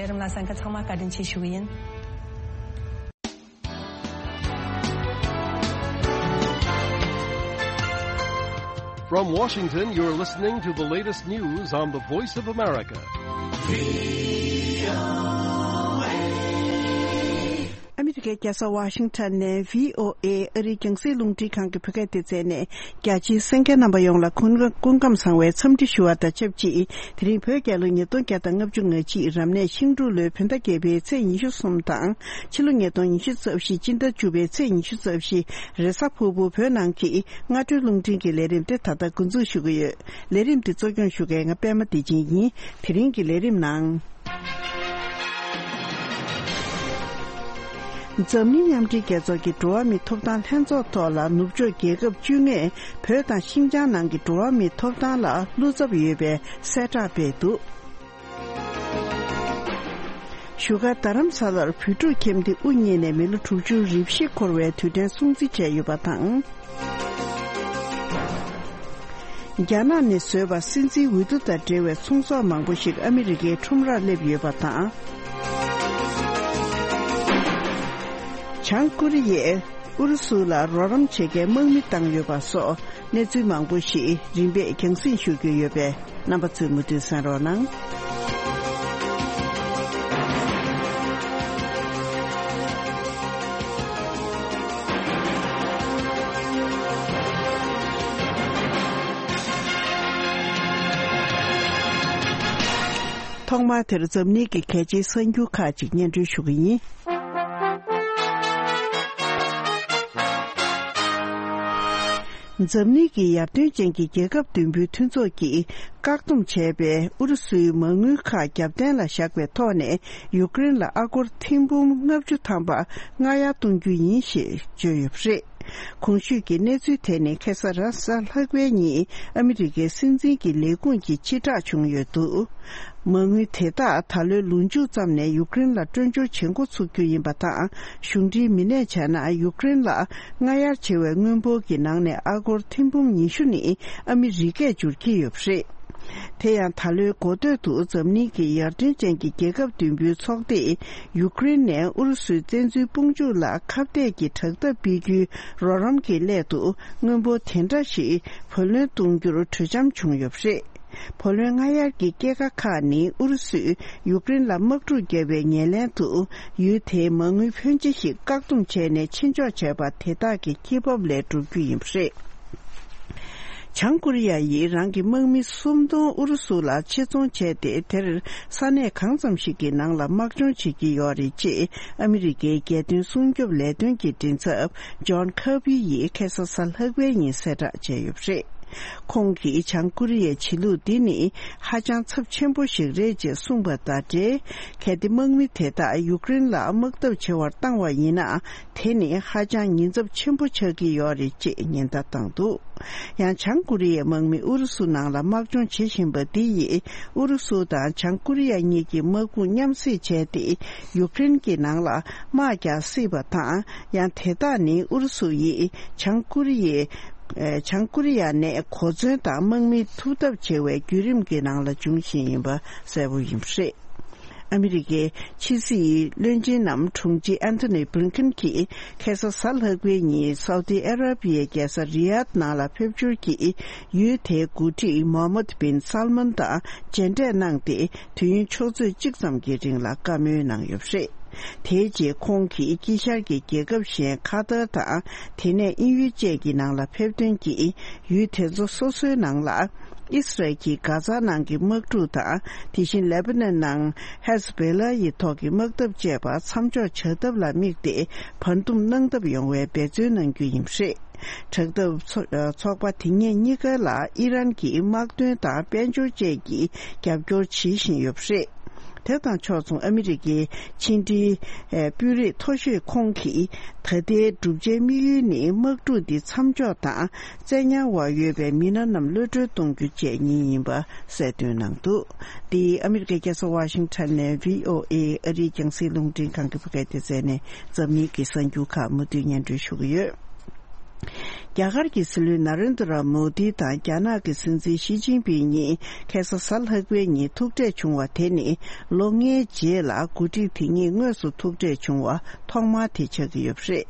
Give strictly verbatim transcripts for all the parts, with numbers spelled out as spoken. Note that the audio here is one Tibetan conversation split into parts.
ལས་རིམ་ལ་གསན་མཁན་ཚང་མ་བཀའ་དྲིན་ཆེ་ཞུ་གི་ཡིན། From Washington, you're listening to the latest news on the Voice of America. ཨ་མི་རི་ཀའི་རྒྱལ་ས་ཝ་ཤིང་ཊོན་ནས་བྷི་ཨོ་ཨེ་ཨ་རིའི་རྒྱང་སྲིང་རླུང་འཕྲིན་ཁང་གི་བོད་སྐད་སྡེ་ཚན་ནས། རྒྱ་ཆེའི་གསན་མཁན་རྣམ་པ་ཡོངས་ལ་སྐུ་སྐུ་ཁམས་བཟང་བའི་འཚམས་འདྲི་ཞུ་བ་དང་ཆབས་ཅིག་དེ་རིང་བོད་རྒྱལ་ལོ་ཉིས་སྟོང་བརྒྱ་དང་ལྔ་བཅུ་ང་གཅིག་རབ་གནས་ཤིང་འབྲུག་ལོའི་བོད་ཟླ་བརྒྱད་པའི་ཚེས་ཉི་ཤུ་གསུམ་དང་། ཕྱི་ལོ་ཉིས་སྟོང་ཉི་ཤུ་རྩ་བཞི་སྤྱི་ཟླ་བཅུ་པའི་ཚེས་ཉི་ཤུ་རྩ་བཞི་རེས་གཟའ་ཕུར་བུ་བོད་ནང་གི་སྔ་དྲོའི་རླུང་འཕྲིན་གྱི་ལས་རིམ་དེ་ད་ལྟ་འགོ་འཛུགས་ཞུ་གི་ཡོད། ལས་རིམ་འདི་གཙོ་སྐྱོང་ཞུ་མཁན་ང་པད་མ་བདེ་ཆེན་ཡིན། དེ་རིང་གི་ལས་རིམ་ནང་། འཛམ་གླིང་མཉམ་འབྲེལ་རྒྱལ་ཚོགས་ཀྱི་འགྲོ་བ་མིའི་ཐོབ་ཐང་ལྷན་ཚོགས་ཐོག་ལ་ནུབ་ཕྱོགས་རྒྱལ་ཁབ་བཅོ་ལྔས་བོད་དང་ཤིན་ཅང་ནང་གི་འགྲོ་བ་མིའི་ཐོབ་ཐང་ལ་བློ་འཚབ་ཡོད་པའི་གསལ་བསྒྲགས་སྤེལ་འདུག་བཞུགས་སྒར་རྡ་རམ་ས་ལར་བོད་ཕྲུག་ཁྱིམ་སྡེ་དབུ་བརྙེས་ནས་མི་ལོ་དྲུག་ཅུ་རེ་བཞི་འཁོར་བའི་དུས་དྲན་སྲུང་བརྩི་བྱས་ཡོད་པ་དང་། རྒྱ་ནག་ནས་བཟོས་པ་སྲིད་འཛིན་འོས་བསྡུ་དང་འབྲེལ་བའི་ཚོང་ཟོག་མང་པོ་ཞིག་ཨ་མི་རི་ཀའི་ཁྲོམ་རར་སླེབས་ཡོད་པ་དང་། བྱང་ཀོ་རི་ཡས་ཨུ་རུ་སུ་ལ་རོགས་རམ་བྱེད་མཁན་དམག་མི་བཏང་ཡོད་པ་སོགས་གནས་ཚུལ་མང་པོ་ཞིག་རིམ་པས་རྒྱང་སྲིང་ཞུ་རྒྱུ་ཡོད་པས། རྣམ་པ་ཚོས་མུ་མཐུད་གསན་རོགས་གནང་། ཐོག་མར་དེར་འཛམ་གླིང་གི་གལ་ཆེའི་གསར་འགྱུར་ཁག་ཅིག་སྙན་སྒྲོན་ཞུ་གི་ཡིན། འཛམ་གླིང་གི་ཡར་ཐོན་ཅན་གྱི་རྒྱལ་ཁབ་བདུན་པོའི་མཐུན་ཚོགས་ཀྱིས་བཀག་སྡོམ་བྱས་པའི་ཨུ་རུ་སུའི་མ་དངུལ་ཁག་རྒྱབ་རྟེན་ལ་བཞག་པའི་ཐོག་ནས་ཡུཀ་རེན་ལ་ཨ་སྒོར་ཐེར་འབུམ་ལྔ་བཅུ་ཐམ་པ་སྔ་གཡར་གཏོང་རྒྱུ་ཡིན་ཞེས་བརྗོད་ཡོད་པ་རེད། གོང་ཞུས་ཀྱི་གནས་ཚུལ་དེ་ནི་ཁ་སང་རེས་གཟའ་ལྷག་པའི་ཉིན་ཨ་མི་རི་ཀའི་སྲིད་འཛིན་གྱི་ལས་ཁུངས་ཀྱིས་ཕྱིར་བསྒྲགས་བྱུང་ཡོད་འདུག་མ་དངུལ་དེ་དག་ད་ལོའི་ལོ་མཇུག་ཙམ་ནས་ཡུཀ་རེན་ལ་སྤྲོད་འབྱོར་བྱེད་འགོ་ཚུགས་རྒྱུ་ཡིན་པ་དང་། གཞུང་འབྲེལ་མི་སྣས་བྱས་ན་ཡུཀ་རེན་ལ་སྔ་གཡར་བྱས་པའི་དངུལ་འབོར་གྱི་ནང་ནས་ཨ་སྒོར་ཐེར་འབུམ་ཉི་ཤུ་ནི་ཨ་མི་རི་ཀས་འབྱོར་གྱི་ཡོད་པ་རེད། དེ་ཡང་ད་ལོའི་འགོ་སྟོད་དུ་འཛམ་གླིང་གི་ཡར་ཐོན་ཅན་གྱི་རྒྱལ་ཁབ་བདུན་པོའི་ཚོགས་སྡེས་ཡུཀ་རེན་ནས་ཨུ་རུ་སུའི་བཙན་འཛུལ་དཔུང་འཇུག་ལ་ཁ་གཏད་ཀྱི་དྲག་འཐབ་སྤེལ་རྒྱུའི་རོགས་རམ་གྱི་སླད་དུ་དངུལ་འབོར་དེ་འདྲ་ཞིག་བུ་ལོན་གཏོང་རྒྱུར་གྲོས་འཆམ་བྱུང་ཡོད་པ་རེད། བུ་ལོན་སྔ་གཡར་གྱི་སྐྱེད་ཀ་ཁག་ནི་ཨུ་རུ་སུས་ཡུཀ་རེན་ལ་དམག་འཁྲུག་བརྒྱབ་པའི་ཉེར་ལེན་དུ་ཡུལ་དེའི་མ་དངུལ་ཕོན་ཆེ་ཞིག་བཀག་སྡོམ་བྱས་ནས་ཕྱིར་འཇོག་བྱས་པ་དེ་དག་གི་སྐྱེད་འབབ་ལས་གྲུབ་རྒྱུ་ཡིན་པ་རེད། བྱང་ཀོ་རི་ཡ་ཡིས་རང་གི་དམག་མི་སུམ་སྟོང་ཨུ་རུ་སུ་ལ་ཆེད་རྫོང་བྱས་ཏེ། དེར་ས་གནས་གང་ཙམ་ཞིག་གི་ནང་ལ་དམག་སྦྱོང་བྱེད་ཀྱི་ཡོད་རེད་ཅེས་ཨ་མི་རི་ཀའི་རྒྱལ་དོན་སྲུང་སྐྱོབ་ལས་དོན་གྱི་མགྲིན་ཚབ་ཇོན་ཁར་བྷི་ཡིས་ཁ་སང་གཟའ་ལྷག་པའི་ཉིན་གསལ་བསྒྲགས་བྱས་ཡོད་པ་རེད། ཁོང་གིས་བྱང་ཀོ་རི་ཡའི་བྱེད་ལུགས་འདི་ནི་ཧ་ཅང་ཚབས་ཆེན་པོ་ཞིག་རེད་ཅེས་གསུངས་པ་དང་འབྲེལ། གལ་ཏེ་དམག་མི་དེ་དག་ཡུཀ་རེན་ལ་དམག་འཐབ་བྱེད་པར་བཏང་བ་ཡིན་ན། དེ་ནི་ཧ་ཅང་ཉེན་ཚབས་ཆེན་པོ་ཆགས་ཀྱི་ཡོད་རེད་ཅེས་ཉེན་བརྡ་བཏང་འདུག་ཡང་བྱང་ཀོ་རི་ཡའི་དམག་མི་ཨུ་རུ་སུ་ནང་ལ་དམག་སྦྱོང་བྱེད་བཞིན་པ་འདི་ཡིས་ཨུ་རུ་སུ་དང་བྱང་ཀོ་རི་ཡ་གཉིས་ཀྱི་དམག་དཔུང་མཉམ་བསྲེས་བྱས་ཏེ་ཡུཀ་རེན་གྱི་ནང་ལ་དམག་རྒྱག་སྲིད་པ་དང་། ཡང་དེ་དག་ནི་ཨུ་རུ་སུ་ཡིས་བྱང་ཀོ་རི་ཡའི་ཨེ། བྱང་ཀོ་རི་ཡ་ནས་གོ་མཚོན་དང་དམག་མི་ཐུག་ཐབས་བྱེད་པའི་བརྒྱུད་རིམ་གྱི་ནང་ལ་འབྱུང་བཞིན་ཡིན་པ་གསལ་པོ་ཡིན་པ་རེད། ཨ་མི་རི་ཀའི་ཕྱི་སྲིད་བློན་ཆེན་ནམ་དྲུང་ཆེ་ཨན་ཐོ་ནི་བྷི་ལིན་ཀིན་གྱིས་ཁ་སང་གཟའ་ལྷག་པའི་ཉིན་སའུ་ཏི་ཨ་ར་པི་ཡའི་རྒྱལ་ས་རི་ཡཱད་ནང་ལ་ཕེབས་འབྱོར་གྱིས་ཡུལ་དེའི་འགོ་ཁྲིད་མོ་ཧམ་མད་བིན་སལ་མན་དང་མཇལ་འཕྲད་གནང་སྟེ། དུས་ཡུན་ཆུ་ཚོད་གཅིག་ཙམ་གྱི་རིང་ལ་བཀའ་མོལ་གནང་ཡོད་པ་རེད། དེའི་རྗེས་ཁོང་གིས་དཀྱིལ་ཤར་གྱི་རྒྱལ་ཁབ་གཞན་ཁ་ཏར་དང་། དེ་ནས་དབྱིན་ཡུལ་བཅས་ཀྱི་ནང་ལ་ཕེབས་ཐོན་གྱིས། ཡུལ་དེ་ཚོ་སོ་སོའི་ནང་ལ་ཨིས་རལ་གྱིས་གྷ་ཛ་ནང་གི་དམག་འཁྲུག་དང་། དེ་བཞིན་ལེ་བྷ་ནན་ནང་ཧེ་ཟ་བྷེ་ལ་ཡི་ཐོག་གི་དམག་འཐབ་བཅས་པ་མཚམས་འཇོག་བྱ་ཐབས་ལ་དམིགས་ཏེ། བར་འདུམ་གནང་ཐབས་ཡོང་བའི་འབད་བརྩོན་གནང་རྒྱུ་ཡིན་པ་རེད། དྲག་འཐབ་ཚོ་ཚོགས་པ་དེ་གཉིས་གཉིས་ཀ་ལ་ཨི་རན་གྱི་དམག་དོན་དང་དཔལ་འབྱོར་བཅས་ཀྱི་རྒྱབ་སྐྱོར་བྱེད་བཞིན་ཡོད་པ་རེད། དེ་དང་ཕྱོགས་མཚུངས་ཨ་མི་རི་ཀའི་ཕྱི་འབྲེལ་ཨེ། དཔོན་རིགས་མཐོ་ཤོས་ཁོང་གིས་ད་ལྟའི་བསྒྲུབ་བྱའི་དམིགས་ཡུལ་ནི་དམག་འཁྲུག་འདི་མཚམས་འཇོག་དང་བཙན་ཉར་འོག་ཡོད་པའི་མི་སྣ་རྣམས་གློད་གྲོལ་གཏོང་རྒྱུ་བཅས་གཉིས་ཡིན་པ་གསལ་སྟོན་གནང་འདུག་འདི་ཨ་མི་རི་ཀའི་རྒྱལ་ས་ཝ་ཤིང་ཊོན་ནས་བྷི་ཨོ་ཨེ་ཨ་རིའི་རྒྱང་སྲིང་རླུང་འཕྲིན་ཁང་གི་བོད་སྐད་སྡེ་ཚན་ནས་འཛམ་གླིང་གི་གསར་འགྱུར་ཁག་མུ་མཐུད་སྙན་སྒྲོན་ཞུ་གི་ཡོད། རྒྱ་གར་གྱི་སྲིད་བློན་ན་རེན་དྲ་མོ་དི་དང་རྒྱ་ནག་གི་སྲིད་འཛིན་ཞི་ཅིན་ཕིང་གཉིས་ཁ་སང་གཟའ་ལྷག་པའི་ཉིན་ཐུག་འཕྲད་བྱུང་བ་དེ་ནི་ལོ་ལྔའི་རྗེས་ལ་འགོ་ཁྲིད་དེ་གཉིས་དངོས་སུ་ཐུག་འཕྲད་བྱུང་བ་ཐོག་མ་དེ་ཆགས་ཀྱི་ཡོད་པ་རེད།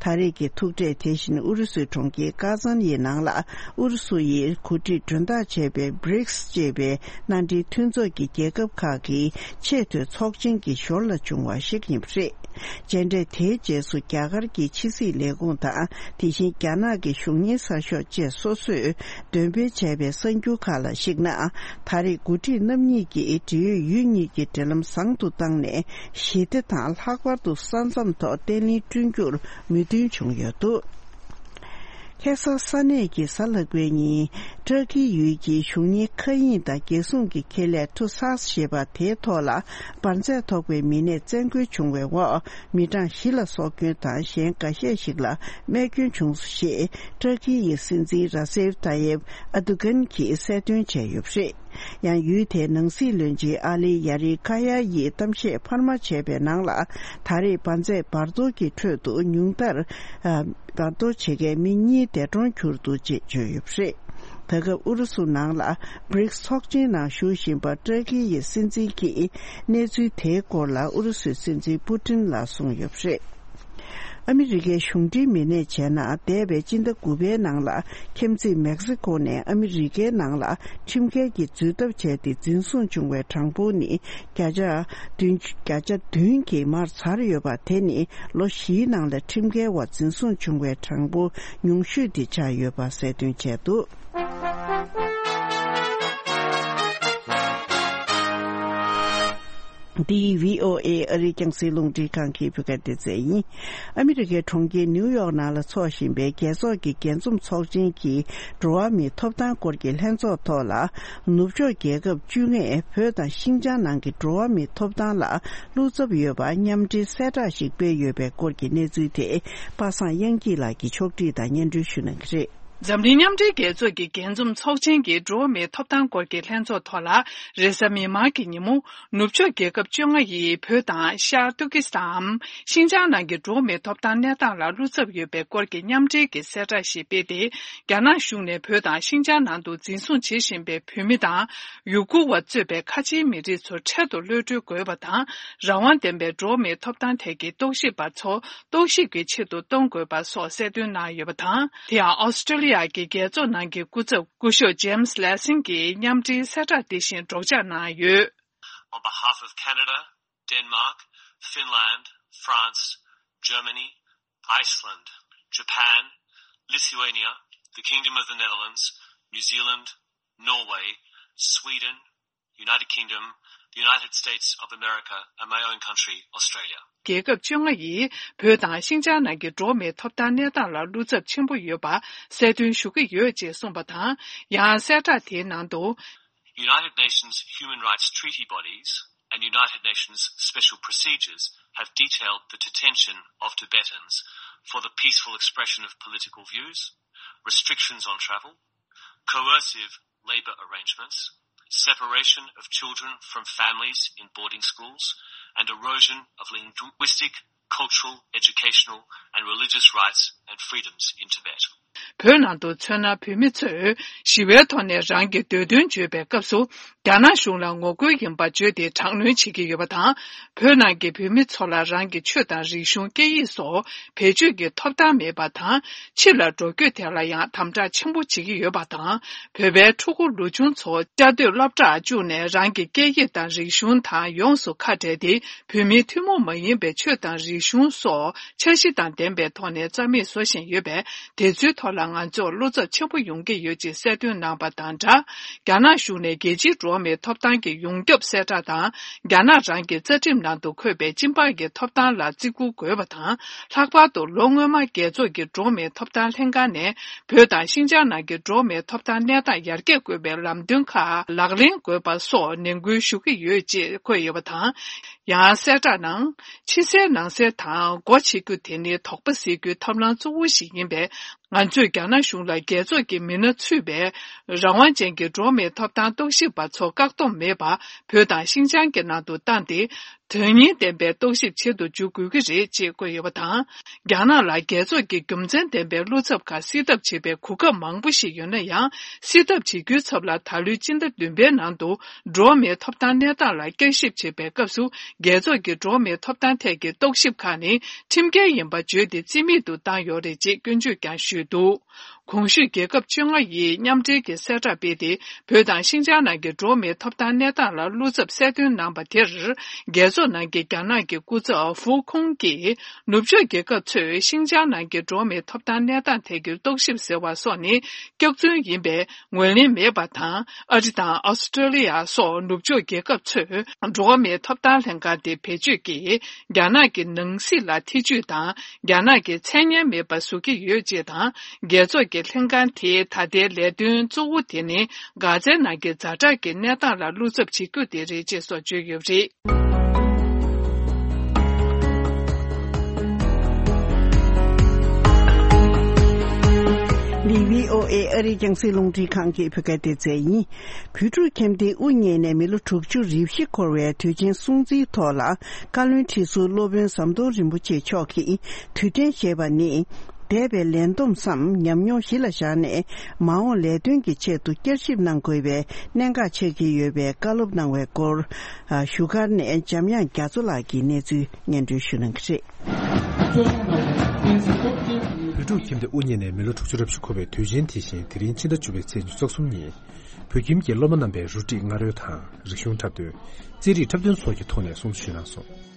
ད་རེས་ཀྱི་ཐུག་འཕྲད་དེ་བཞིན་ཨུ་རུ་སུའི་གྲོང་ཁྱེར་ཀ་ཛན་ཡི་ནང་ལ་ཨུ་རུ་སུ་ཡིས་གོ་སྒྲིག་མགྲོན་བདག་བྱས་པའི་བྷི་རིགས་ཅེས་པའི་མནའ་འབྲེལ་མཐུན་ཚོགས་ཀྱི་རྒྱལ་ཁབ་ཁག་གི་ཆེས་མཐོའི་ཚོགས་ཆེན་གྱི་ཞོར་ལ་བྱུང་བ་ཞིག་ཡིན་པ་རེད། མཇལ་འཕྲད་དེའི་རྗེས་སུ་རྒྱ་གར་གྱི་ཕྱི་སྲིད་ལས་ཁུངས་དང་དེ་བཞིན་རྒྱ་ནག་གི་གཞུང་གཉེར་གསར་ཤོག་བཅས་སོ་སོས་འདོན་སྤེལ་བྱས་པའི་གསར་འགྱུར་ཁག་ལ་གཞིགས་ན། ད་རེས་འགོ་ཁྲིད་རྣམ་གཉིས་ཀྱིས་འབྲེལ་ཡོད་ཡུལ་གཉིས་ཀྱི་འབྲེལ་ལམ་བཟང་དུ་བཏང་ནས་ཞི་བདེ་དང་ལྷག་པར་དུ་ས་མཚམས་ཐོག་བརྟན་ལྷིང་བསྐྲུན་རྒྱུར་མོས་མཐུན་བྱུང་ཡོད་འདུག་ཁ་སང་ས་གནས་ཀྱི་གཟའ་ལྷག་པའི་ཉིན་ཏྲ་ཀི་ཡུལ་གྱི་གཞུང་གཉེར་མཁའ་དབྱིངས་དང་རྒྱལ་སྲུང་གི་ཁེ་ལས་ཐུ་སཱས་ཞེས་པ་དེའི་ཐོག་ལ་འབར་རྫས་ཐོགས་པའི་མི་སྣས་བཙན་རྒོལ་བྱུང་བའི་འོག་མི་གྲངས་བཞི་ལ་སྲོག་སྐྱོན་དང་གཞན་འགའ་ཤས་ཤིག་ལ་རྨས་སྐྱོན་བྱུང་སོང་ཞེས་ཏྲ་ཀི་ཡི་སྲིད་འཛིན་ར་སེབ་ཏཱ་ཡེབ་ཨ་དུ་གན་གྱིས་གསལ་སྟོན་བྱས་ཡོད་པ་རེད། ཡང་ཡུལ་དེའི་ནང་སྲིད་བློན་ཆེན་ཨ་ལི་ཡ་རི་ཁ་ཡ་ཡིས་གཏམ་བཤད་འཕར་མ་བྱས་པའི་ནང་ལ་ད་རེས་འབར་རྫས་འབར་གཏོར་གྱི་ཁྲོད་དུ་ཉུང་མཐར་ཨ། འབར་གཏོར་བྱེད་མཁན་མི་གཉིས་འདས་གྲོངས་གྱུར་འདུག་ཅེས་བརྗོད་ཡོད་པ་རེད། ད་སྐབས་ཨུ་རུ་སུ་ནང་ལ་བྷི་རིགས་ཚོགས་ཆེན་ནང་ཞུགས་བཞིན་པ་ཏྲ་ཀི་ཡི་སྲིད་འཛིན་གྱིས་གནས་ཚུལ་དེའི་སྐོར་ལ་ཨུ་རུ་སུའི་སྲིད་འཛིན་པུ་ཏིན་ལ་གསུངས་ཡོད་པ་རེད། ཨ་མི་རི་ཀའི་གཞུང་འབྲེལ་མི་སྣས་བྱས་ན་འདས་པའི་སྤྱི་ཟླ་དགུ་པའི་ནང་ལ་ཁྱིམ་མཚེས་མེག་སི་ཀོ་ནས་ཨ་མི་རི་ཀའི་ནང་ལ་ཁྲིམས་འགལ་གྱི་འཛུལ་ཐབས་བྱས་ཏེ་འཛིན་བཟུང་བྱུང་བའི་གྲངས་འབོར་ནི་བརྒྱ་ཆ་བདུན་བརྒྱ་ཆ་བདུན་གྱིས་མར་ཚར་ཡོད་པ་དེ་ནི་ལོ་བཞིའི་ནང་ལ་ཁྲིམས་འགལ་བ་འཛིན་བཟུང་བྱུང་བའི་གྲངས་འབོར་ཉུང་ཤོས་དེ་ཆགས་ཡོད་པ་གསལ་སྟོན་བྱས་འདུག་འདི་བྷི་ཨོ་ཨེ་ཨ་རིའི་རྒྱང་སྲིང་རླུང་འཕྲིན་ཁང་གི་བོད་སྐད་སྡེ་ཚན་ཡིན། ཨ་མི་རི་ཀའི་གྲོང་ཁྱེར་ནིའུ་ཡོག་ནང་ལ་འཚོགས་བཞིན་པའི་རྒྱལ་ཚོགས་ཀྱི་རྒྱས་འཛོམས་ཚོགས་ཆེན་གྱི་འགྲོ་བ་མིའི་ཐོབ་ཐང་སྐོར་གྱི་ལྷན་ཚོགས་ཐོག་ལ། ནུབ་ཕྱོགས་རྒྱལ་ཁབ་བཅོ་ལྔས་བོད་དང་ཤིན་ཅང་ནང་གི་འགྲོ་བ་མིའི་ཐོབ་ཐང་ལ་བློ་འཚབ་ཡོད་པ་མཉམ་འབྲེལ་གསལ་བསྒྲགས་ཤིག་སྤེལ་ཡོད་པའི་སྐོར་གྱི་གནས་ཚུལ་དེ་པ་སངས་དབྱངས་སྐྱིད་ལགས་ཀྱིས་ཕྱོགས་སྒྲིག་དང་སྙན་སྒྲོན་ཞུ་གནང་གི་རེད། འཛམ་གླིང་མཉམ་འབྲེལ་རྒྱལ་ཚོགས་ཀྱི་རྒྱས་འཛོམས་ཚོགས་ཆེན་གྱི་འགྲོ་བ་མིའི་ཐོབ་ཐང་སྐོར་གྱི་ལྷན་ཚོགས་ཐོག་ལ། རེས་གཟའ་མིག་དམར་གྱི་ཉིན་མོ། ནུབ་ཕྱོགས་རྒྱལ་ཁབ་བཅོ་ལྔ་ཡིས་བོད་དང་ཤར་ཏུར་ཀི་སི་ཐན་འམ་ཤིན་ཅང་ནང་གི་འགྲོ་བ་མིའི་ཐོབ་ཐང་གནས་སྟངས་ལ་བློ་འཚབ་ཡོད་པའི་སྐོར་གྱི་མཉམ་འབྲེལ་གྱི་གསལ་བསྒྲགས་ཤིག་སྤེལ་ཏེ། རྒྱ་ནག་གཞུང་ནས་བོད་དང་ཤིན་ཅང་ནང་དུ་འཛིན་བཟུང་བྱེད་བཞིན་པའི་བོད་མི་དང་། ཡུ་གུར་བ་གཙོས་པའི་ཁ་ཆེའི་མི་རིགས་ཚོ་འཕྲལ་དུ་གློད་གྲོལ་དགོས་པ་དང་། རང་དབང་ལྡན་པའི་འགྲོ་བ་མིའི་ཐོབ་ཐང་ཐད་ཀྱི་རྟོག་ཞིབ་པ་ཚོ་རྟོག་ཞིབ་ཀྱི་ཆེད་དུ་གཏོང་དགོས་པ་སོགས་གསལ་སྟོན་གནང་ཡོད་པ་དང་། དེ་ཡང་ཨོ་སི་ཀྲོ་ལི་ཡ་གི་རྒྱལ་ཚོགས་ནང་གི་སྐུ་ཚབ་སྐུ་ཞབས་ཇེམ་སི་ལེ་སིང་གིས་མཉམ་འབྲེལ་གསལ་བསྒྲགས་འདི་བཞིན་སྒྲོག་སྦྱང་གནང་ཡོད། On behalf of Canada, Denmark, Finland, France, Germany, Iceland, Japan, Lithuania, the Kingdom of the Netherlands, New Zealand, Norway, Sweden, United Kingdom, the United States of America, and my own country, Australia. རྒྱལ་ཁབ་བཅོ་ལྔ་ཡིས་བོད་དང་ཤིན་ཅང་ནང་གི་འགྲོ་བ་མིའི་ཐོབ་ཐང་གནས་སྟངས་ལ་བློ་འཚབ་ཆེན་པོ་ཡོད་པ་གསལ་སྟོན་ཞུ་གི་ཡོད་ཅེས་གསུངས་པ་དང་། ཡང་གསལ་བསྒྲགས་དེའི་ནང་དུ། United Nations human rights treaty bodies and United Nations special procedures have detailed the detention of Tibetans for the peaceful expression of political views, restrictions on travel, coercive labour arrangements, separation of children from families in boarding schools, and erosion of linguistic, cultural, educational, and religious rights and freedoms in Tibet. བོད་ནང་དུ་མཚོན་ན་བོད་མི་ཚོས་ཞི་བའི་ཐོག་ནས་རང་གི་འདོད་དོན་བརྗོད་པའི་སྐབས་སུ། རྒྱ་ནག་གཞུང་ལ་ངོ་རྒོལ་ཡིན་པ་བརྗོད་དེ་དྲག་གནོན་བྱེད་ཀྱི་ཡོད་པ་དང་། བོད་ནང་གི་བོད་མི་ཚོ་ལ་རང་གི་ཆོས་དང་རིག་གཞུང་སྐད་ཡིག་སོགས་བེད་སྤྱོད་ཀྱི་ཐོབ་ཐང་མེད་པ་དང་། ཕྱི་ལ་འགྲོ་སྐྱོད་ཐད་ལ་ཡང་དམ་དྲག་ཆེན་པོ་བྱེད་ཀྱི་ཡོད་པ་དང་། བོད་པའི་ཕྲུ་གུ་ལོ་ཆུང་ཚོ་བཅའ་སྡོད་སློབ་གྲྭར་བཅུག་ནས་རང་གི་སྐད་ཡིག་དང་རིག་གཞུང་དང་ཡོངས་སུ་ཁ་བྲལ་ཏེ། བོད་མིའི་ཐུན་མོང་མ་ཡིན་པའི་ཆོས་དང་རིག་གཞུང་སོགས་འཆར་གཞི་དང་ལྡན་པའི་ཐོག་ནས་རྩ་མེད་བཟོ་བཞིན་ཡོད་པས། དེ་ཚོའི་ཐོག་ལ་ང་ཚོར་བློ་འཚབ་ཆེན་པོ་ཡོང་གི་ཡོད་ཅེས་གསལ་སྟོན་གནང་པ་དང་སྦྲགས། རྒྱ་ནག་གཞུང་ནས་རྒྱལ་སྤྱིའི་འགྲོ་བ་མིའི་ཐོབ་ཐང་གི་ཡོངས་ཁྱབ་གསལ་བསྒྲགས་དང་། རྒྱ་ནག་རང་གི་རྩ་ཁྲིམས་ནང་དུ་འཁོད་པའི་སྤྱི་འབངས་ཀྱི་ཐོབ་ཐང་ལ་བརྩི་བཀུར་དགོས་པ་དང་། ལྷག་པར་དུ་ལོ་སྔོན་མ་རྒྱལ་ཚོགས་ཀྱི་འགྲོ་བ་མིའི་ཐོབ་ཐང་ལྷན་ཁང་ནས་བོད་དང་ཤིན་ཅང་ནང་གི་འགྲོ་བ་མིའི་ཐོབ་ཐང་གནས་སྟངས་ཡར་རྒྱས་དགོས་པའི་ལམ་སྟོན་ཁག་ལག་ལེན་དགོས་པ་སོགས་ནན་སྐུལ་ཞུ་གི་ཡོད་ཅེས་འཁོད་ཡོད་པ་དང་། ཡང་གསལ་བསྒྲགས་ནང་། ཕྱི་གསལ་ནང་གསལ་དང་སྒོ་ཕྱེ་རྒྱུ་དེ་ནི་དོགས་པ་སེལ་རྒྱུའི་ཐབས་ལམ་གཙོ་བོ་ཞིག་ཡིན་པས། ང་ཚོས་རྒྱ་ནག་གཞུང་ལ་རྒྱལ་ཚོགས་ཀྱི་མི་སྣ་ཚུད་པའི་རང་དབང་ཅན་གྱི་འགྲོ་བ་མིའི་ཐོབ་ཐང་རྟོག་ཞིབ་པ་ཚོ་བཀག་སྡོམ་མེད་པར་བོད་དང་ཤིན་ཅང་གི་ནང་དུ་བཏང་སྟེ། དོན་སྙིང་ལྡན་པའི་རྟོག་ཞིབ་བྱེད་དུ་འཇུག་དགོས་ཀྱི་རེད་ཅེས་བཀོད་ཡོད་པ་དང་། རྒྱ་ནག་ལ་རྒྱལ་ཚོགས་ཀྱི་རྒྱུ་མཚན་ལྡན་པའི་བློ་འཚབ་ཁག་སེལ་ཐབས་བྱེད་པའི་གོ་སྐབས་མང་པོ་ཞིག་ཡོད་ན་ཡང་། སེལ་ཐབས་བྱེད་རྒྱུའི་ཚབ་ལ་ད་ལོའི་སྤྱི་ཟླ་བདུན་པའི་ནང་དུ་འགྲོ་བ་མིའི་ཐོབ་ཐང་གནས་སྟངས་ལ་བསྐྱར་ཞིབ་བྱེད་པའི་སྐབས་སུ། རྒྱལ་ཚོགས་ཀྱི་འགྲོ་བ་མིའི་ཐོབ་ཐང་ཐད་ཀྱི་རྟོག་ཞིབ་ཁག་ནི་ཁྲིམས་འགལ་ཡིན་པ་བརྗོད་དེ་རྩིས་མེད་དུ་བཏང་ཡོད་རེད་ཅེས་སྐྱོན་བརྗོད་ཀྱང་ཞུས་འདུག། གོང་ཞུས་རྒྱལ་ཁབ་བཅོ་ལྔ་ཡིས་མཉམ་འབྲེལ་གྱི་གསལ་བསྒྲགས་སྤེལ་ཏེ། བོད་དང་ཤིན་ཅང་ནང་གི་འགྲོ་བ་མིའི་ཐོབ་ཐང་གནས་སྟངས་ལ་བློ་འཚབ་གསལ་སྟོན་གནང་པ་དེར། རྒྱལ་ཚོགས་ནང་གི་རྒྱ་ནག་གི་སྐུ་ཚབ་ཧྥུ་ཁུང་གིས། ནུབ་ཕྱོགས་རྒྱལ་ཁབ་ཚོས་ཤིན་ཅང་ནང་གི་འགྲོ་བ་མིའི་ཐོབ་ཐང་གནས་སྟངས་ཐད་ཀྱི་རྟོག་ཞིབ་ཟེར་བ་སོགས་ནི་སྐྱག་རྫུན་ཡིན་པས་ངོས་ལེན་མེད་པ་དང་། ཨ་རི་དང་ཨོ་སི་ཀྲོ་ལི་ཡ་སོགས་ནུབ་ཕྱོགས་རྒྱལ་ཁབ་ཚོས་འགྲོ་བ་མིའི་ཐོབ་ཐང་ལྷན་ཁང་དེ་བེད་སྤྱོད་ཀྱིས་རྒྱ་ནག་གི་ནང་སྲིད་ལ་ཐེ་ཇུས་དང་། རྒྱ་ནག་གི་མཚན་སྙན་མེད་པ་བཟོ་གི་ཡོད་ཅེས་དང་། རྒྱལ་ཚོགས་ཀྱི་ལྷན་ཁང་དེའི་ད་ལྟའི་ལས་དོན་གཙོ་བོ་དེ་ནི། གྷ་ཛའི་ནང་གི་ཛ་དྲག་གི་གནས་སྟངས་ལ་བློ་འཚབ་བྱེད་རྒྱུ་དེ་རེད་ཅེས་སོགས་བརྗོད་ཡོད་པ་རེད། འདི་བྷི་ཨོ་ཨེ་ཨ་རིའི་རྒྱང་སྲིང་རླུང་འཕྲིན་ཁང་གི་བོད་སྐད་སྡེ་ཚན་ཡིན། བོད་ཕྲུག་ཁྱིམ་སྡེའི་དབུ་བརྙེས་ནས་མི་ལོ་དྲུག་ཅུ་རེ་བཞི་འཁོར་བའི་དུས་ཆེན་སྲུང་བརྩིའི་ཐོག་ལ། བཀའ་བློན་ཁྲི་ཟུར་སློབ་དཔོན་ཟམ་གདོང་རིན་པོ་ཆེ་མཆོག་གིས་དུས་དྲན་ཞེས་པ་ནི། འདས་པའི་ལས་བསྡོམས་སམ་ཉམས་མྱོང་གཞི་ལ་བཞག་ནས། མ་འོངས་ལས་དོན་གྱི་ཆེད་དུ་བསྐྱར་ཞིབ་གནང་དགོས་པའི་གནད་འགག་ཆགས་ཀྱི་ཡོད་པའི་བཀའ་སློབ་གནང་བའི་སྐོར། བཞུགས་སྒར་ནས་འཇམ་དབྱངས་རྒྱ་མཚོ་ལགས་ཀྱིས་གནས་ཚུལ་སྙན་སྒྲོན་ཞུ་གནང་གི་རེད། བོད་ཕྲུག་ཁྱིམ་སྡེ་དབུ་བརྙེས་ནས་མི་ལོ་དྲུག་ཅུ་རེ་བཞི་འཁོར་བའི་དུས་ཆེན་དེ་བཞིན་དེ་རིང་ཕྱི་ཟླ་བཅུ་པའི་ཚེས་ཉི་ཤུ་རྩ་གསུམ་ཉིན། བོད་ཁྱིམ་གྱི་སློབ་མ་རྣམ་པས་རུ་སྒྲིག་སྔ་རོལ་དང་རིག་གཞུང་འཁྲབ་སྟོན། རྩེད་རིགས་འཁྲབ་སྟོན་སོགས་ཀྱི་ཐོག་ནས་སྲུང་བརྩི་ཞུས་གནང་སོང་།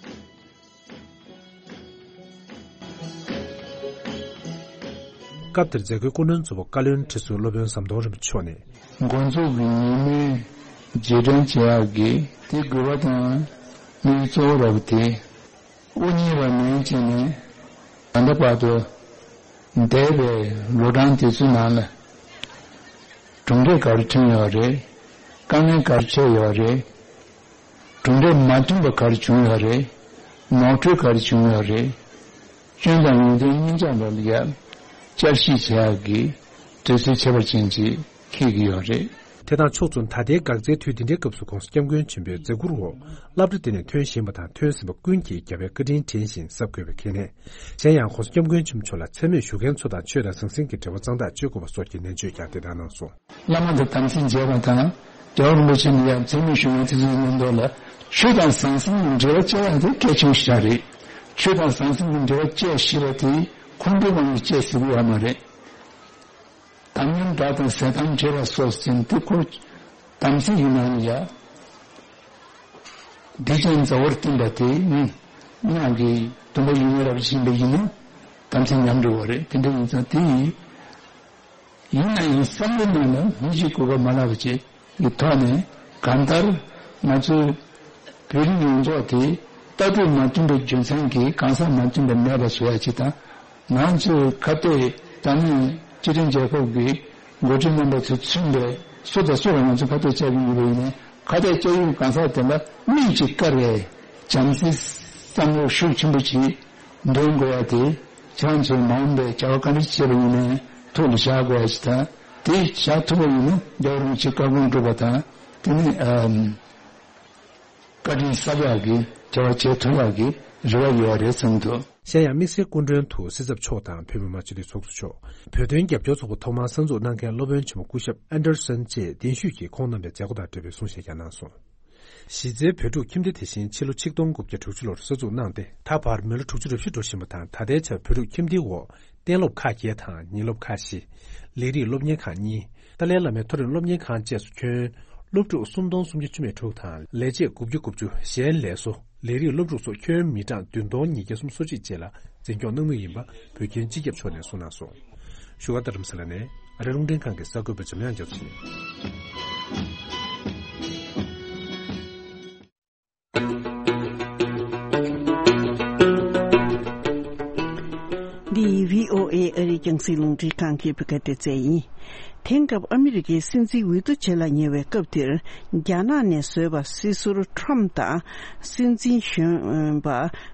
སྐབས་དེར་མཛད་སྒོའི་སྐུ་མགྲོན་གཙོ་བོ་བཀའ་བློན་ཁྲི་ཟུར་སློབ་དཔོན་ཟམ་གདོང་རིན་པོ་ཆེ་མཆོག་ནས། འགོ་འཛུགས་ཀྱི་ཉིན་མོའི་རྗེས་དྲན་བྱེད་ཡག་གི་དེ་དགོས་པ་དང་དམིགས་ཡུལ་གཙོ་བོ་ར་བ་དེ། དབུ་བརྙེས་པ་ནས་བྱས་ནས་ད་ལྟ་བར་དུ་འདས་པའི་ལོ་གྲངས་དེ་ཚོའི་ནང་ལ་གྲུབ་འབྲས་ག་རེ་ཐོན་ཡོད་རེད། དཀའ་ངལ་ག་རེ་འཕྲད་ཡོད་རེད། གྲུབ་འབྲས་མ་ཐོན་པ་ག་རེ་བྱུང་ཡོད་རེད། ནོར་འཁྲུལ་ག་རེ་བྱུང་ཡོད་རེད། སྐྱོན་དང་ཡོན་ཏན་གཉིས་ཆ་ལ་ཡ་བསྐྱར་ཞིབ་བྱེད་ཡག་གི་དུས་ཚོད་ཁྱད་པར་ཅན་ཅིག་འཁེལ་གྱི་ཡོད་རེད། དེ་དང་ཕྱོགས་མཚུངས་ད་ལྟའི་འགག་རྩའི་དུས་འདི་འདྲའི་སྐབས་སུ་༸གོང་ས་༸སྐྱབས་མགོན་ཆེན་པོའི་མཛད་ཁུར་འོག་སློབ་གྲྭ་དེ་ནས་ཐོན་བཞིན་པ་དང་ཐོན་ཟིན་པ་ཀུན་གྱིས་རྒྱལ་བའི་བཀའ་དྲིན་དྲན་བཞིན་གཟབ་དགོས་པའི་གལ་གནད། གཞན་ཡང་༸གོང་ས་༸སྐྱབས་མགོན་ཆེན་པོ་མཆོག་ལ་མཚན་སྨད་ཞུ་མཁན་ཚོ་དང་ཆོས་དང་ཟང་ཟིང་གི་འབྲེལ་བ་གཙང་དག་བཅོས་དགོས་པ་སོགས་ཀྱི་ནན་བརྗོད་ཀྱང་དེ་ལྟར་གནང་སོང་། བླ་མ་དང་དམ་ཚིག་བྱས་པ་དང་རྒྱལ་བ་རིན་པོ་ཆེ་ནས་ཡང་མཚན་སྨད་ཞུ་མཁན་དེ་ཚོའི་མཉམ་དུ་ལ་ཆོས་དང་ཟང་ཟིང་གི་འབྲེལ་བ་བཅད་ཡག་དེ་གལ་ཆེན་པོ་ཞིག་རེད། ཆོས་དང་ཟང་ཟིང་གི་འབྲེལ་བ་བཅད་ཤེས་པ་དེ་ཁོང་ཁྲོའི་དབང་གིས་བཅད་ཟེར་གྱི་ཡོད་མ་རེད། དམ་ཉམས་དགྲ་དང་ཟས་དམ་བྲལ་བ་སོགས་ཟིན་ཏེ་ཁོ་དམ་ཚིག་ཡིན་ནའང་ཡ། སྡིག་ཅན་མཛའ་བོར་བསྟེན་པ་དེ་ནི་སྔགས་ཀྱི་སྡོམ་པ་ཡོད་མེད་རབ་ཕྱིན་པ་ཡིན་ན་དམ་ཚིག་ཉམས་འགྲོ་བ་རེད། དེ་འདྲ་ཡིན་ཙང་དེ་ཡིན། ཡིན་ན་ཡང་བསམ་བློའི་ནང་ལ་མི་གཅིག་གོ་སྐབས་མ་ལག་པ་ཅིག་གི་ཐོག་ནས་གང་ལྟར་ང་ཚོའི་བོད་རིགས་ཡོངས་རྫོགས་དེ་ལྟ་གྲུབ་མ་མཐུན་པའི་རྒྱུ་མཚན་གྱིས་གང་ཟག་མ་མཐུན་པ་མེད་པ་བཟོ་ཡ་ཅིག་དང་། ང་ཚོས་ཁ་གཏད་ད་ནི་སྤྱི་མཐུན་རྒྱལ་ཁབ་ཀྱི་འགོ་ཁྲིད་རྣམ་པ་ཚོས་མཚོན་པའི་སུ་དང་སུ་ལ་ང་ཚོས་ཁ་གཏད་བཅག་གི་ཡོད་པ་ཡིན་ནའི་ཁ་གཏད་བཅག་ཡུལ་གང་ཟག་དེ་ལ་དམིགས་ཀྱིས་བཀར་བའི་བྱམས་བརྩེའི་བསམ་བློ་ཤུགས་ཆེན་པོ་ཅིག་འདོན་དགོས་ཡ་དེ་ཁྱེད་རང་ཚོས་མ་འོངས་པའི་བྱ་བ་ག་འདྲ་བྱེད་པ་ཡིན་ནའི་ཐུགས་ལ་བཞག་དགོས་ཡ་ཅིག་དང་། དེ་བཞག་ཐུབ་པ་ཡིན་ན་རྒྱལ་བ་རིན་པོ་ཆེའི་བཀའ་དགོངས་སྒྲུབ་པ་དང་དེ་ནི་ཨམ། བཀའ་དྲིན་གསབ་ཡག་གི་བྱ་བ་བྱེད་ཐུབ་ཡག་གི་རེ་བ་ཡོད་རེད་བསམ་འདུག། གཞན་ཡང་དམིགས་བསལ་སྐུ་མགྲོན་དུ་སྲིད་ཚབ་མཆོག་དང་བོད་མི་མང་སྤྱི་འཐུས་ཚོགས་གཙོ་མཆོག། བོད་དོན་རྒྱབ་སྐྱོར་ཚོགས་པ་ཐོག་མར་གསར་འཛུགས་གནང་མཁན་སློབ་དཔོན་ཆེན་མོ་སྐུ་ཞབས་ཨན་ཌར་སན་བཅས་གདན་ཞུས་ཀྱིས་ཁོང་རྣམ་པའི་མཛད་སྒོ་དང་འབྲེལ་བའི་གསུང་བཤད་ཀྱང་གནང་སོང་། གཞི་རྩའི་བོད་ཕྲུག་ཁྱིམ་སྡེ་དེ་བཞིན་ཕྱི་ལོ་ཆིག་སྟོང་དགུ་བརྒྱ་དྲུག་ཅུ་ལོར་གསར་འཛུགས་གནང་སྟེ་ད་བར་མི་ལོ་དྲུག་ཅུ་རེ་བཞི་འགྲོ་བཞིན་པ་དང་། ད་ལྟའི་ཆར་བོད་ཕྲུག་ཁྱིམ་སྡེའི་འོག་གཏན་སློབ་ཁག་བརྒྱད་དང་ཉིན་སློབ་ཁག་བཞི། ལས་རིགས་སློབ་གཉེར་ཁང་གཉིས། ཏཱ་ལའི་བླ་མའི་མཐོ་རིམ་སློབ་གཉེར་ཁང་བཅས་སུ་ཁྱོན་སློབ་ཕྲུག་སུམ་སྟོང་སུམ་བརྒྱ་བཅུ་མེད་དྲུག་དང་ལས་བྱེད་དགུ་བརྒྱ་དགུ་བཅུ། གཞན་ལས་བཟོ་ལས་རིགས་སློབ་ཕྲུག་སོགས་ཁྱོན་མི་གྲངས་བདུན་སྟོང་ཉིས་བརྒྱ་སུམ་ཅུ་སོ་གཅིག་བཅས་ལ་འཛིན་སྐྱོང་གནང་མུས་ཡིན་པ་བོད་ཁྱིམ་སྤྱི་ཁྱབ་ཕྱོགས་ནས་གསུངས་གནང་སོང་། བཞུགས་སྒར་རྡ་རམ་ས་ལ་ནས་ཨ་རི་རླུང་འཕྲིན་ཁང་གི་གསར་འགོད་པ་འཇམ་དབྱངས་རྒྱ་མཚོ་ཡིན། འདི་བྷི་ཨོ་ཨེ་ཨ་རིའི་རྒྱང་སྲིང་རླུང་འཕྲིན་ཁང་གི་བོད་སྐད་སྡེ་ཚན་ཡིན། དེང་སྐབས་ཨ་མི་རི་ཀའི་སྲིད་འཛིན་འོས་བསྡུ་བྱེད་ལ་ཉེ་བའི་སྐབས་འདིར། རྒྱ་ནག་ནས་བཟོས་པ་སྲིད་ཟུར་ཊམ་དང་སྲིད་འཛིན་གཞོན་པ་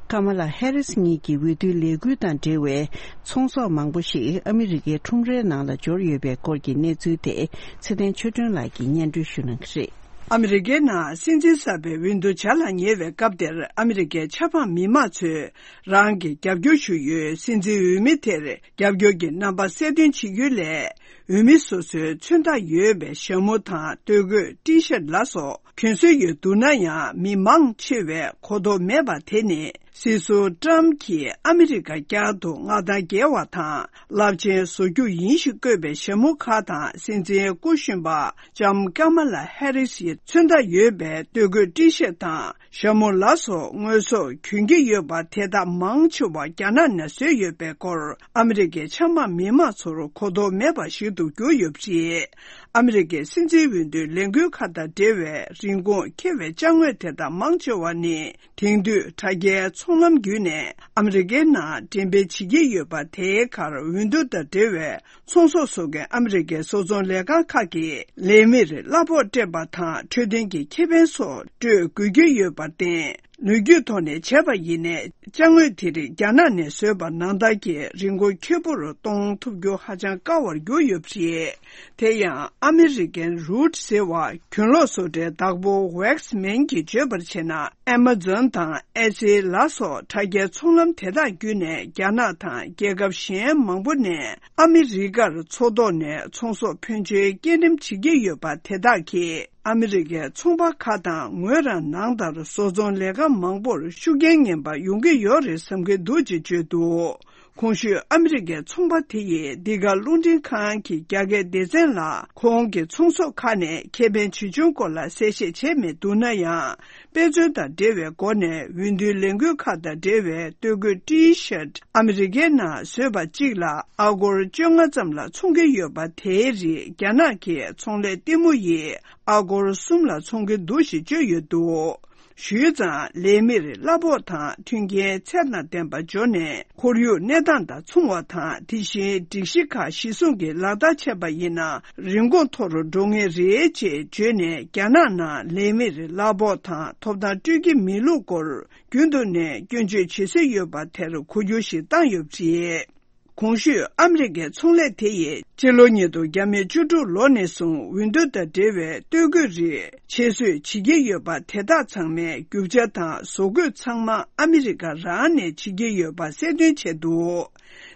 ཀ་མ་ལ་ཧེ་རིས་གཉིས་ཀྱི་འོས་བསྡུའི་ལས་འགུལ་དང་འབྲེལ་བའི་ཚོང་ཟོག་མང་པོ་ཞིག་ཨ་མི་རི་ཀའི་ཁྲོམ་རའི་ནང་ལ་འབྱོར་ཡོད་པའི་སྐོར་གྱི་གནས་ཚུལ་དེ་ཚེ་བརྟན་ཆོས་སྒྲོན་ལགས་ཀྱིས་སྙན་སྒྲོན་ཞུ་གནང་གི་རེད། ཨ་མི་རི་ཀའི་ནང་སྲིད་འཛིན་གསར་པའི་འོས་བསྡུ་བྱ་ལ་ཉེ་བའི་སྐབས་དེར། ཨ་མི་རི་ཀའི་ཆབ་འབངས་མི་མང་ཚོས་རང་གི་རྒྱབ་སྐྱོར་ཞུ་ཡུལ་སྲིད་འཛིན་འོས་མི་དེར་རྒྱབ་སྐྱོར་གྱི་རྣམ་པ་གསལ་སྟོན་བྱེད་རྒྱུ་ལས། འོས་མི་སོ་སོའི་མཚོན་རྟགས་ཡོད་པའི་ཞྭ་མོ་དང་སྟོད་གོས། ཊི་ཤར་ལ་སོགས་གྱོན་སྲོལ་ཡོད་འདུག་ན་ཡང་། མི་མང་ཆེ་བས་གོ་རྟོགས་མེད་པ་དེ་ནི། སྲིད་ཟུར་ཊམ་གྱིས་ཨ་མི་རི་ཀ་བསྐྱར་དུ་མངའ་ཐང་རྒྱས་པ་དང་རླབས་ཆེན་བཟོ་རྒྱུ་ཡིན་ཞེས་བཀོད་པའི་ཞྭ་མོ་ཁག་དང་། སྲིད་འཛིན་སྐུ་གཞོན་པ་ལྕམ་ཀ་མ་ལ་ཧེ་རིས་ཡི་མཚོན་རྟགས་ཡོད་པའི་སྟོད་གོས། ཊི་ཤར་དང་ཞྭ་མོ་ལ་སོགས་དངོས་ཟོག་གྱོན་གྱི་ཡོད་པ་དེ་དག་མང་ཆེ་བ་རྒྱ་ནག་ནས་བཟོས་ཡོད་པའི་སྐོར། ཨ་མི་རི་ཀའི་ཆབ་འབངས་མི་མང་ཚོར་གོ་རྟོགས་མེད་པ་ཞིག་ཏུ་གྱུར་ཡོད་པ་རེད། ཨ་མི་རི་ཀའི་སྲིད་འཛིན་འོས་བསྡུའི་ལས་འགུལ་ཁག་དང་འབྲེལ་བའི་རིན་གོང་ཁེ་བའི་ཅ་དངོས་དེ་དག་མང་ཆེ་བ་ནི། དེང་དུས་དྲ་རྒྱའི་ཚོང་ལམ་བརྒྱུད་ནས་ཨ་མི་རི་ཀའི་ནང་འགྲེམས་སྤེལ་བྱེད་ཀྱི་ཡོད་པ། དེའི་ཁར་འོས་བསྡུ་དང་འབྲེལ་བའི་ཚོང་ཟོག་བཟོ་མཁན་ཨ་མི་རི་ཀའི་བཟོ་ཚོང་ལས་ཁང་ཁག་གིས་ལས་མིར་གླ་ཕོགས་སྤྲད་པ་དང་། འཕྲོད་བསྟེན་གྱི་ཁེ་ཕན་སོགས་སྤྲོད་དགོས་ཀྱི་ཡོད་པར་བརྟེན། ལོ་རྒྱུས་ཐོག་ནས་བྱས་པ་ཡིན་ནའི། ཅ་དངོས་དེ་རིགས་རྒྱ་ནག་ནས་བཟོས་པ་ནང་ལྟར་གྱི་རིན་གོང་ཁེ་པོར་གཏོང་ཐུབ་རྒྱུ་ཧ་ཅང་དཀའ་བར་གྱུར་ཡོད་པ་རེད། དེ་ཡང་ཨ་མི་རི་ཀན་རུ་ཊི་ཟེར་བ་གྱོན་ལོག་བཟོ་གྲྭའི་བདག་པོ་ཝེག་སི་མན་གྱིས་བརྗོད་པར་བྱས་ན། ཨེ་མ་ཛོན་དང་ཨེ་ཙི་ལ་སོགས་དྲ་རྒྱའི་ཚོང་ལམ་དེ་དག་བརྒྱུད་ནས་རྒྱ་ནག་དང་རྒྱལ་ཁབ་གཞན་མང་པོ་ནས་ཨ་མི་རི་ཀར་མཚོ་ཐོག་ནས་ཚོང་ཟོག་ཕོན་ཆེན་སྐྱེལ་འགྲེམས་བྱེད་ཀྱི་ཡོད་པ། དེ་དག་གིས་ཨ་མི་རི་ཀའི་ཚོང་པ་ཁག་དང་ངོས་རང་ནང་ལྟར་བཟོ་ཚོང་ལས་ཁང་མང་པོར་ཤུགས་རྐྱེན་ངན་པ་ཡོང་གི་ཡོད་རེད་བསམ་གྱི་འདུག་ཅེས་བརྗོད་འདུག། གོང་ཞུས་ཨ་མི་རི་ཀའི་ཚོང་པ་དེ་ཡིས་འདི་ག་རླུང་འཕྲིན་ཁང་གི་རྒྱ་སྐད་སྡེ་ཚན་ལ། ཁོང་གི་ཚོང་ཟོག་ཁག་ནས་ཁེ་ཕན་ཇི་བྱུང་སྐོར་ལ་གསལ་བཤད་བྱས་མི་འདུག་ན་ཡང་། དཔེ་མཚོན་དང་འབྲེལ་བའི་སྒོ་ནས་འོས་བསྡུའི་ལས་འགུལ་ཁག་དང་འབྲེལ་བའི་སྟོད་གོས། ཊི་ཤར་ཨ་མི་རི་ཀའི་ནང་བཟོས་པ་གཅིག་ལ་ཨ་སྒོར་བཅོ་ལྔ་ཙམ་ལ་འཚོང་གི་ཡོད་པ། དེའི་རིགས་རྒྱ་ནག་གི་ཚོང་ལས་ལྟད་མོ་ཡིས་ཨ་སྒོར་གསུམ་ལ་འཚོང་གི་འདུག་ཞེས་བརྗོད་ཡོད་འདུག། ཞུས་ཙང་ལས་མིར་གླ་ཕོགས་དང་མཐུན་རྐྱེན་ཚད་དང་ལྡན་པ་འབྱོར་ནས། ཁོར་ཡུག་གནས་སྟངས་དང་མཚུངས་པ་དང་། དེ་བཞིན་སྒྲིག་གཞི་ཁག་གཞི་བཟུང་གིས་ལག་བསྟར་བྱས་པ་ཡིན་ན། རིན་གོང་མཐོ་རུ་འགྲོ་ངེས་རེད་ཅེས་བརྗོད་ནས། རྒྱ་ནག་ནང་ལས་མིར་གླ་ཕོགས་དང་ཐོབ་ཐང་སྤྲོད་ཀྱི་མེད་ལུགས་སྐོར། རྒྱུན་དུ་ནས་སྐྱོན་བརྗོད་བྱེད་སྲོལ་ཡོད་པ་དེར་གོ་རྒྱུ་ཞིག་བཏང་ཡོད་པ་རེད། གོང་ཞུས་ཨ་མི་རི་ཀའི་ཚོང་ལས་དེ་ཡིས་སྤྱི་ལོ་ཉིས་སྟོང་བརྒྱ་མེད་བཅུ་དྲུག་ལོ་ནས་བཟུང་འོས་བསྡུ་དང་འབྲེལ་བའི་སྟོད་གོས་རིགས་ཕྱིར་བཟོས་བྱེད་ཀྱི་ཡོད་པ། དེ་དག་ཚང་མའི་རྒྱུ་ཆ་དང་བཟོ་བཀོད་ཚང་མ་ཨ་མི་རི་ཀ་རང་ནས་བྱེད་ཀྱི་ཡོད་པ་གསལ་སྟོན་བྱས་འདུག།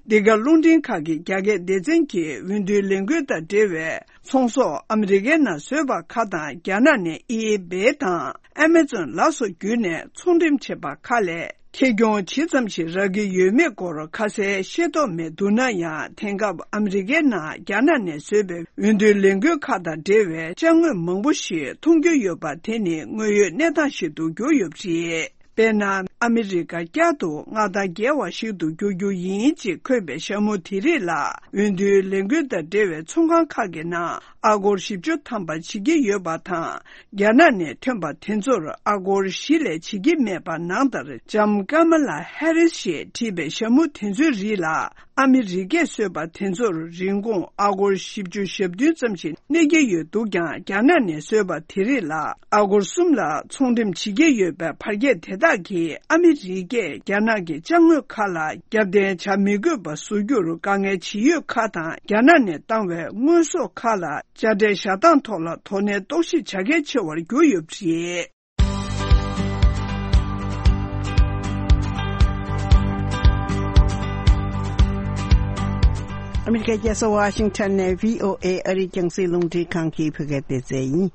འདི་ག་རླུང་འཕྲིན་ཁང་གི་རྒྱ་སྐད་སྡེ་ཚན་གྱིས་འོས་བསྡུའི་ལས་འགུལ་དང་འབྲེལ་བའི་ཚོང་ཟོག་ཨ་མི་རི་ཀའི་ནང་བཟོས་པ་ཁག་དང་། རྒྱ་ནག་ནས་ཨི་བེ་དང་ཨེ་མ་ཛོན་ལ་སོགས་བརྒྱུད་ནས་ཚོང་འགྲེམས་བྱས་པ་ཁག་ལས། ཁེ་གྱོང་ཇི་ཙམ་ཞིག་རག་གི་ཡོད་མེད་སྐོར་ཁ་གསལ་ཤེས་རྟོགས་མེད་འདུག་ན་ཡང་། དེང་སྐབས་ཨ་མི་རི་ཀའི་ནང་རྒྱ་ནག་ནས་བཟོས་པའི་འོས་བསྡུའི་ལས་འགུལ་ཁག་དང་འབྲེལ་བའི་ཅ་དངོས་མང་པོ་ཞིག་མཐོང་རྒྱུ་ཡོད་པ། དེ་ནི་དངོས་ཡོད་གནས་སྟངས་ཤིག་ཏུ་གྱུར་ཡོད་པ་རེད། དཔེར་ན། ཨ་མི་རི་ཀ་བསྐྱར་དུ་མངའ་ཐང་རྒྱས་པ་ཞིག་ཏུ་འགྱུར་རྒྱུ་ཡིན་ཅེས་འཁོད་པའི་ཞྭ་མོ་དེ་རིགས་ལ། འོས་བསྡུའི་ལས་འགུལ་དང་འབྲེལ་བའི་ཚོང་ཁང་ཁག་གི་ནང་ཨ་སྒོར་བཞི་བཅུ་ཐམ་པ་བྱེད་ཀྱི་ཡོད་པ་དང་། རྒྱ་ནག་ནས་ཐོན་པ་དེ་ཚོར་ཨ་སྒོར་བཞི་ལས་བྱེད་ཀྱི་མེད་པ། ནང་ལྟར་ལྕམ་ཀ་མ་ལ་ཧེ་རིས་ཞེས་བྲིས་པའི་ཞྭ་མོ་དེ་ཚོའི་རིགས་ལ། ཨ་མི་རི་ཀས་བཟོས་པ་དེ་ཚོར་རིན་གོང་ཨ་སྒོར་བཞི་བཅུ་ཞེ་བདུན་ཙམ་ཞིག་གནས་ཀྱི་ཡོད་འདུག་ཀྱང་། རྒྱ་ནག་ནས་བཟོས་པ་དེ་རིགས་ལ་ཨ་སྒོར་གསུམ་ལ་ཚོང་འགྲེམས་བྱེད་ཀྱི་ཡོད་པའི་བར་ཁྱད་དེ་དག་གིས་ཨ་མི་རི་ཀས་རྒྱ་ནག་གི་ཅ་དངོས་ཁག་ལ་རྒྱབ་རྟེན་བྱ་མི་དགོས་པ་བཟོ་རྒྱུར་དཀའ་ངལ་ཇི་ཡོད་ཁག་དང་། རྒྱ་ནག་ནས་བཏང་བའི་དངོས་ཟོག་ཁག་ལ་དཔྱ་ཁྲལ་བཞག་སྟངས་ཐོག་ལ་དོ་ནན་རྟོག་ཞིབ་བྱ་གལ་ཆེ་བར་གྱུར་ཡོད་པ་རེད། ཨ་མི་རི་ཀའི་རྒྱལ་ས་ཝ་ཤིང་ཊོན་ནས་བྷི་ཨོ་ཨེ་ཨ་རིའི་རྒྱང་སྲིང་རླུང་འཕྲིན་ཁང་གི་བོད་སྐད་སྡེ་ཚན་ཡིན།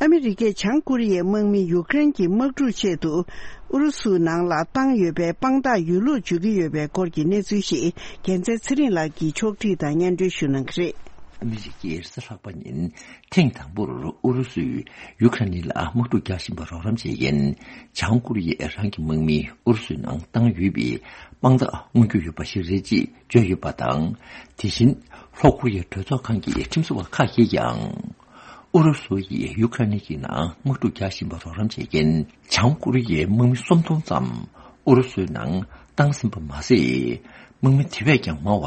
ཨ་མི་རི་ཀས་བྱང་ཀོ་རི་ཡའི་དམག་མི་ཡུཀ་རེན་གྱི་དམག་འཁྲུག་ཆེད་དུ་ཨུ་རུ་སུའི་ནང་ལ་བཏང་ཡོད་པའི་དཔང་རྟགས་ཡོད་ལུགས་བརྗོད་ཀྱི་ཡོད་པའི་སྐོར་གྱི་གནས་ཚུལ་ཞིག་རྒྱལ་མཚན་ཚེ་རིང་ལགས་ཀྱིས་ཕྱོགས་བསྒྲིགས་དང་སྙན་སྒྲོན་ཞུ་གནང་གི་རེད། ཨ་མི་རི་ཀས་རེས་གཟའ་ལྷག་པ་ཉིན་ཐེངས་དང་པོར་ཨུ་རུ་སུས་ཡུ་ཁ་རེན་ལ་དམག་འཁྲུག་རྒྱག་བཞིན་པར་རོགས་རམ་བྱེད་མཁན་བྱང་ཀོ་རི་ཡས་རང་གི་དམག་མི་ཨུ་རུ་སུའི་ནང་བཏང་ཡོད་པའི་དཔང་རྟགས་མངོན་གྱི་ཡོད་པ་ཞིག་རེད་ཅེས་བརྗོད་ཡོད་པ་དང་། དེ་བཞིན་ལྷོ་ཀོ་རི་ཡའི་གྲོས་ཚོགས་ཁང་གི་ཁྲིམས་བཟོ་བ་ཁག་གིས་ཀྱང་ཨུ་རུ་སུ་ཡིས་ཡུ་ཁ་རེན་གྱི་ནང་དམག་འཁྲུག་རྒྱག་བཞིན་པར་རོགས་རམ་བྱེད་མཁན་བྱང་ཀོ་རི་ཡའི་དམག་མི་སུམ་སྟོང་ཙམ་ཨུ་རུ་སུའི་ནང་བཏང་ཟིན་པ་མ་ཟད། དམག་མི་དེ་བས་ཀྱང་མང་བ་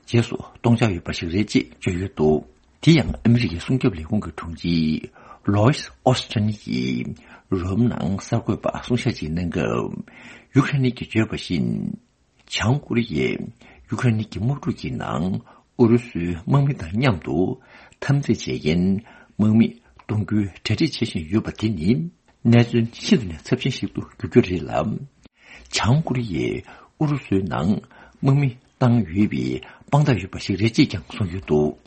རྗེས་སུ་གཏོང་འཆར་ཡོད་པ་ཞིག་རེད་ཅེས་བརྗོད་ཡོད་འདུག། དེ་ཡང་ཨ་མི་རི་ཀའི་སྲུང་སྐྱོབ་ལས་ཁུངས་ཀྱི་དྲུང་ཆེ་ལོའིས་ཨོ་སི་ཊིན་གྱིས་རོམ་ནང་གསར་འགོད་པར་གསུང་བཤད་ཅིག་གནང་སྐབས། ཡུ་ཀེ་རེན་གྱིས་བརྗོད་པ་བཞིན། བྱང་ཀོ་རི་ཡས་ཡུ་ཀེ་རེན་གྱི་དམག་འཁྲུག་གི་ནང་ཨུ་རུ་སུའི་དམག་མི་དང་མཉམ་དུ་འཐབ་འཛིང་བྱེད་མཁན་དམག་མི་གཏོང་རྒྱུའི་གྲ་སྒྲིག་བྱེད་བཞིན་ཡོད་པ་དེ་ནི། གནད་དོན་ཤིན་ཏུ་ནས་ཚབས་ཆེན་ཞིག་ཏུ་འགྱུར་རྒྱུ་རེད་ལ། བྱང་ཀོ་རི་ཡས་ཨུ་རུ་སུའི་ནང་དམག་མི་བཏང་ཡོད་པའི་དཔང་རྟགས་ཡོད་པ་ཞིག་རེད་ཅེས་ཀྱང་གསུངས་ཡོད་འདུག།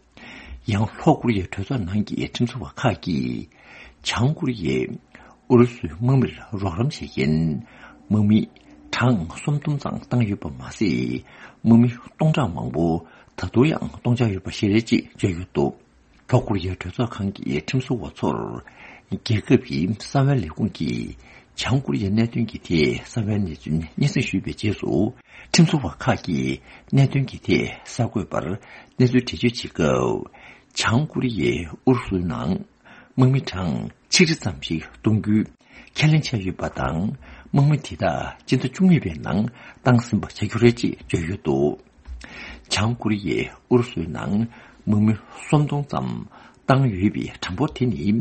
ཡང་ལྷོ་ཀོ་རི་ཡའི་གྲོས་ཚོགས་ནང་གི་ཁྲིམས་བཟོ་བ་ཁག་གིས། བྱང་ཀོ་རི་ཡས་ཨུ་རུ་སུའི་དམག་མིར་རོགས་རམ་བྱེད་མཁན་དམག་མི་གྲངས་སུམ་སྟོང་ཙམ་བཏང་ཡོད་པ་མ་ཟད། དམག་མི་སྟོང་ཕྲག་མང་པོ་ད་དུང་ཡང་གཏོང་འཆར་ཡོད་པ་ཞིག་རེད་ཅེས་བརྗོད་ཡོད་འདུག། ལྷོ་ཀོ་རི་ཡའི་གྲོས་ཚོགས་ཁང་གི་ཁྲིམས་བཟོ་བ་ཚོར། རྒྱལ་ཁབ་ཀྱི་གསང་བའི་ལས་ཁུངས་ཀྱིས། བྱང་ཀོ་རི་ཡའི་གནད་དོན་གྱི་ཐད་གསང་བའི་གནས་ཚུལ་སྙན་སེང་ཞུས་པའི་རྗེས་སུ། ཁྲིམས་བཟོ་བ་ཁག་གིས་གནད་དོན་གྱི་ཐད་གསར་འགོད་པར་གནས་ཚུལ་འགྲེལ་བརྗོད་བྱེད་སྐབས། བྱང་ཀོ་རི་ཡས་ཨུ་རུ་སུའི་ནང་དམག་མི་གྲངས་ཆིག་ཁྲི་ཙམ་ཞིག་གཏོང་རྒྱུའི་ཁས་ལེན་བྱས་ཡོད་པ་དང་། དམག་མི་དེ་དག་སྤྱི་ཟླ་བཅུ་གཉིས་པའི་ནང་བཏང་ཟིན་པ་བྱ་རྒྱུ་རེད་ཅེས་བརྗོད་ཡོད་འདུག། བྱང་ཀོ་རི་ཡས་ཨུ་རུ་སུའི་ནང་དམག་མི་སུམ་སྟོང་ཙམ་བཏང་ཡོད་པའི་གྲངས་འབོར་དེ་ནི།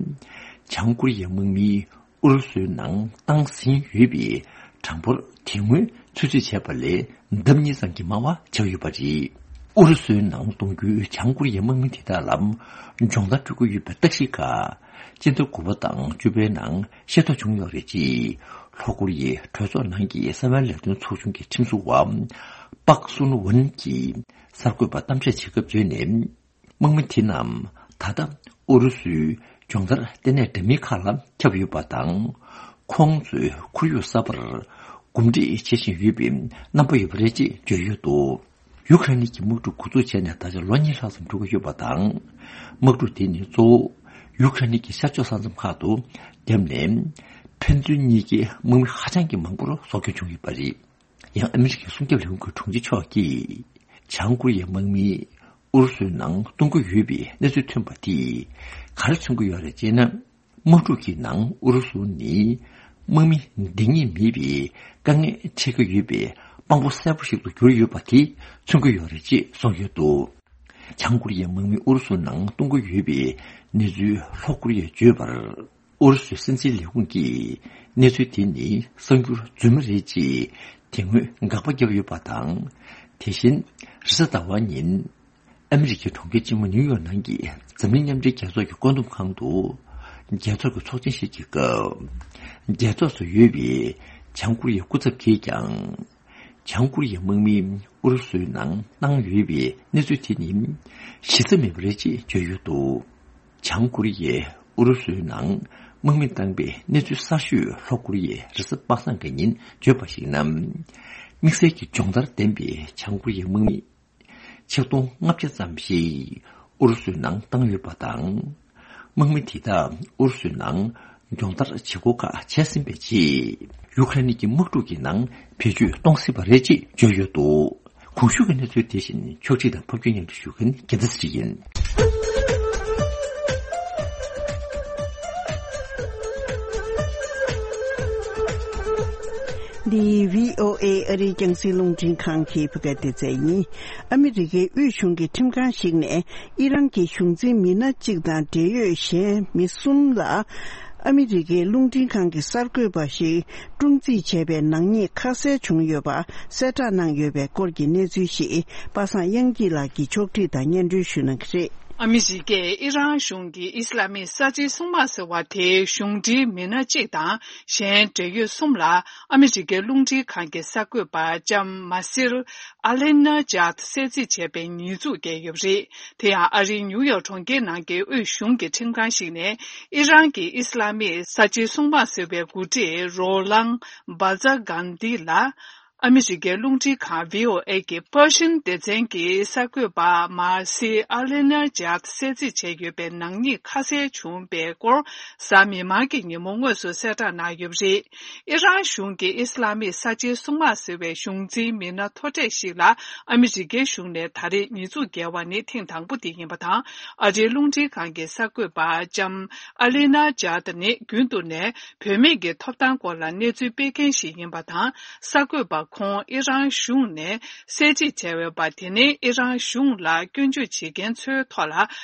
བྱང་ཀོ་རི་ཡའི་དམག་མིས་ཨུ་རུ་སུའི་ནང་བཏང་ཟིན་ཡོད་པའི་གྲངས་འབོར་དེ་སྔོན་ཚོད་རྩིས་བྱས་པ་ལས་ལྡབ་གཉིས་ཙམ་གྱིས་མང་བ་ཆགས་ཡོད་པ་རེད། ཨུ་རུ་སུའི་ནང་གཏོང་རྒྱུའི་བྱང་ཀོ་རི་ཡའི་དམག་མི་དེ་དག་ལ་སྦྱོང་བརྡར་སྤྲོད་ཀྱི་ཡོད་པའི་རྟགས་ཤིག་ཁག་སྤྱི་ཟླ་དགུ་པ་དང་བཅུ་པའི་ནང་ཤེས་རྟོགས་བྱུང་ཡོད་རེད་ཅེས། ལྷོ་ཀོ་རི་ཡའི་གྲོས་ཚོགས་ནང་གི་གསང་བའི་ལས་དོན་ཚོགས་ཆུང་གི་ཁྲིམས་བཟོ་བ་པག་སུན་ཝུན་གྱིས་གསར་འགོད་པར་གཏམ་བཤད་བྱེད་སྐབས་བརྗོད་ནས། དམག་མི་དེ་རྣམས་ད་ལྟ་ཨུ་རུ་སུའི་སྦྱོང་བརྡར་ལྟེ་གནས་འདྲ་མིན་ཁག་ལ་ཁྱབ་ཡོད་པ་དང་། ཁོང་ཚོས་ཁོར་ཡུག་གསར་པར་གོམས་འདྲིས་བྱེད་བཞིན་ཡོད་པའི་རྣམ་པ་ཡོད་པ་རེད་ཅེས་བརྗོད་ཡོད་འདུག། ཡུ་ཀེ་རེན་གྱི་དམག་འཁྲུག་འགོ་འཛུགས་བྱས་ནས་ད་ཆ་ལོ་གཉིས་ལྷག་ཙམ་འགྲོ་གི་ཡོད་པ་དང་། དམག་འཁྲུག་དེ་ནི་གཙོ་བོ་ཡུ་ཀེ་རེན་གྱི་ཤར་ཕྱོགས་ས་མཚམས་ཁག་ཏུ་བརྒྱབ་ནས། ཕན་ཚུན་གཉིས་ཀའི་དམག་མི་ཧ་ཅང་གི་མང་པོར་སྲོག་སྐྱོན་བྱུང་ཡོད་པ་རེད། ཡང་ཨ་མི་རི་ཀའི་སྲུང་སྐྱོབ་ལས་ཁུངས་ཀྱི་དྲུང་ཆེ་མཆོག་གིས། བྱང་ཀོ་རི་ཡའི་དམག་མིས་ཨུ་རུ་སུའི་ནང་གཏོང་གི་ཡོད་པའི་གནས་ཚུལ་ཐོན་པ་དེས་ག་རེ་མཚོན་གྱི་ཡོད་རེད་ཅེ་ན། དམག་འཁྲུག་གི་ནང་ཨུ་རུ་སུ་ནི་དམག་མི་འདང་ངེས་མེད་པའི་དཀའ་ངལ་འཕྲད་ཀྱི་ཡོད་པའི་དཔང་པོ་གསལ་པོ་ཞིག་ཏུ་གྱུར་ཡོད་པ་དེ་མཚོན་གྱི་ཡོད་རེད་ཅེས་གསུངས་ཡོད་འདུག། བྱང་ཀོ་རི་ཡའི་དམག་མི་ཨུ་རུ་སུ་ནང་གཏོང་གི་ཡོད་པའི་གནས་ཚུལ་ལྷོ་ཀོ་རི་ཡས་བརྗོད་པར། ཨུ་རུ་སུའི་སྲིད་འཛིན་ལས་ཁུངས་ཀྱིས་གནས་ཚུལ་དེ་ནི་གསར་འགྱུར་རྫུན་མ་རེད་ཅེས་དེ་སྔོན་དགག་པ་བརྒྱབ་ཡོད་པ་དང་། དེ་བཞིན་རེས་གཟའ་ཟླ་བ་ཉིན་ཨ་མི་རི་ཀའི་གྲོང་ཁྱེར་ཆེན་མོ་ནིའུ་ཡོག་ནང་གི་འཛམ་གླིང་མཉམ་འབྲེལ་རྒྱལ་ཚོགས་ཀྱི་བཀོད་འདོམས་ཁང་དུ་རྒྱལ་ཚོགས་ཀྱི་ཚོགས་ཆེན་ཞིག་གི་སྐབས། རྒྱལ་ཚོགས་སུ་ཡོད་པའི་བྱང་ཀོ་རི་ཡའི་སྐུ་ཚབ་ཀྱིས་ཀྱང་། བྱང་ཀོ་རི་ཡའི་དམག་མིས་ཨུ་རུ་སུའི་ནང་བཏང་ཡོད་པའི་གནས་ཚུལ་དེ་ནི་གཞི་རྩ་མེད་པ་རེད་ཅེས་བརྗོད་ཡོད་འདུག། བྱང་ཀོ་རི་ཡས་ཨུ་རུ་སུའི་ནང་དམག་མི་བཏང་པའི་གནས་ཚུལ་གསར་ཤོས་ལྷོ་ཀོ་རི་ཡས་རེས་གཟའ་པ་སངས་ཀྱི་ཉིན་བརྗོད་པར་གཞིགས་ན། དམིགས་བསལ་གྱི་སྦྱོང་བརྡར་ལྡན་པའི་བྱང་ཀོ་རི་ཡའི་དམག་མི་ཆིག་སྟོང་ལྔ་བརྒྱ་ཙམ་ཞིག་ཨུ་རུ་སུའི་ནང་བཏང་ཡོད་པ་དང་། དམག་མི་དེ་དག་ཨུ་རུ་སུའི་ནང་སྦྱོང་བརྡར་བྱེད་སྒོ་ཁག་བྱས་ཟིན་པའི་རྗེས། ཡུ་ཁ་རེན་གྱི་དམག་འཁྲུག་གི་ནང་བེད་སྤྱོད་གཏོང་སྲིད་པ་རེད་ཅེས་བརྗོད་ཡོད་འདུག། གོང་ཞུས་ཀྱི་གནས་ཚུལ་དེ་བཞིན་ཕྱོགས་སྒྲིག་དང་ཕབ་སྒྱུར་སྙན་སྒྲོན་ཞུ་མཁན་རྒྱལ་མཚན་ཚེ་རིང་ཡིན། འདི་བྷི་ཨོ་ཨེ་ཨ་རིའི་རྒྱང་སྲིང་རླུང་འཕྲིན་ཁང་གི་བོད་སྐད་སྡེ་ཚན་ཡིན། ཨ་མི་རི་ཀའི་དབུས་གཞུང་གི་ཁྲིམས་ཁང་ཞིག་ནས་ཨི་རན་གྱི་གཞུང་འཛིན་མི་སྣ་གཅིག་དང་འབྲེལ་ཡོད་གཞན་མི་གསུམ་ལ། ཨ་མི་རི་ཀའི་རླུང་འཕྲིན་ཁང་གི་གསར་འགོད་པ་ཞིག་སྲུང་བརྩི་བྱས་པའི་ནག་ཉེས་ཁ་གསལ་བྱུང་ཡོད་པ་གསལ་བསྒྲགས་གནང་ཡོད་པའི་སྐོར་གྱི་གནས་ཚུལ་ཞིག་པ་སངས་དབྱངས་སྐྱིད་ལགས་ཀྱིས་ཕྱོགས་སྒྲིག་དང་སྙན་སྒྲོན་ཞུ་གནང་གི་རེད། ཨ་མི་རི་ཀས་ཨི་རན་གཞུང་གི་ཨི་སི་ལ་མིག་གསར་བརྗེའི་སྲུང་དམག་ཟེར་བ་དེའི་གཞུང་འབྲེལ་མི་སྣ་གཅིག་དང་གཞན་འབྲེལ་ཡོད་གསུམ་ལ་ཨ་མི་རི་ཀའི་རླུང་འཕྲིན་ཁང་གི་གསར་འགོད་པ་ལྕམ་མ་སིར་ཨ་ལེ་ན་ཇཱད་གསལ་རྩིས་བྱས་པའི་ཉེས་འཛུགས་བཀལ་ཡོད་པ་རེད། དེ་ཡང་ཨ་རིའི་ནིའུ་ཡོག་གྲོང་ཁྱེར་ནང་གི་དབུས་གཞུང་གི་ཁྲིམས་ཁང་ཞིག་ནས་ཨི་རན་གྱི་ཨི་སི་ལ་མིག་གསར་བརྗེའི་སྲུང་དམག་ཟེར་བའི་འགོ་ཁྲིད་རོ་ལང་བྷ་ཛ་གྷན་དྷི་ལ། ཨ་མི་རི་ཀའི་རླུང་འཕྲིན་ཁང་བྷི་ཨོ་ཨེ་གི་པར་ཤིན་སྡེ་ཚན་གྱི་གསར་འགོད་པ་མ་སི་ཨ་ལེ་ན་ཇཱད་གསལ་རྩིས་བྱས་ཡོད་པའི་ནག་ཉེས་ཁ་གསལ་བྱུང་བའི་སྐོར་གཟའ་མིག་དམར་གྱི་ཉིན་མོ་དངོས་སུ་གསལ་བསྒྲགས་གནང་ཡོད་པ་རེད། ཨི་རན་གཞུང་གིས་ཨི་སི་ལ་མིག་གསར་བརྗེའི་སྲུང་དམག་ཟེར་བའི་གཞུང་འཛིན་མི་སྣ་མཐོ་གྲས་ཤིག་ལ་ཨ་མི་རི་ཀའི་གཞུང་ནས་ད་རེས་ཉེས་འཛུགས་བཀལ་བ་ནི་ཐེངས་དང་པོ་དེ་ཡིན་པ་དང་། ཨ་རིའི་རླུང་འཕྲིན་ཁང་གི་གསར་འགོད་པ་ལྕམ་ཨ་ལེ་ན་ཇཱད་ནི་རྒྱུན་དུ་ནས་བུད་མེད་ཀྱི་ཐོབ་ཐང་སྐོར་ལ་གནས་ཚུལ་སྤེལ་མཁན་ཞིག་ཡིན་པ་དང་། གསར་འགོད་པ་ ཁོང་ཨི་རན་གཞུང་ནས་གསལ་བརྗེད་བྱས་ཡོད་པ། དེ་ནི་ཨི་རན་གཞུང་ལ་སྐྱོན་བརྗོད་བྱེད་མཁན་ཚོའི་ཐོག་ལ་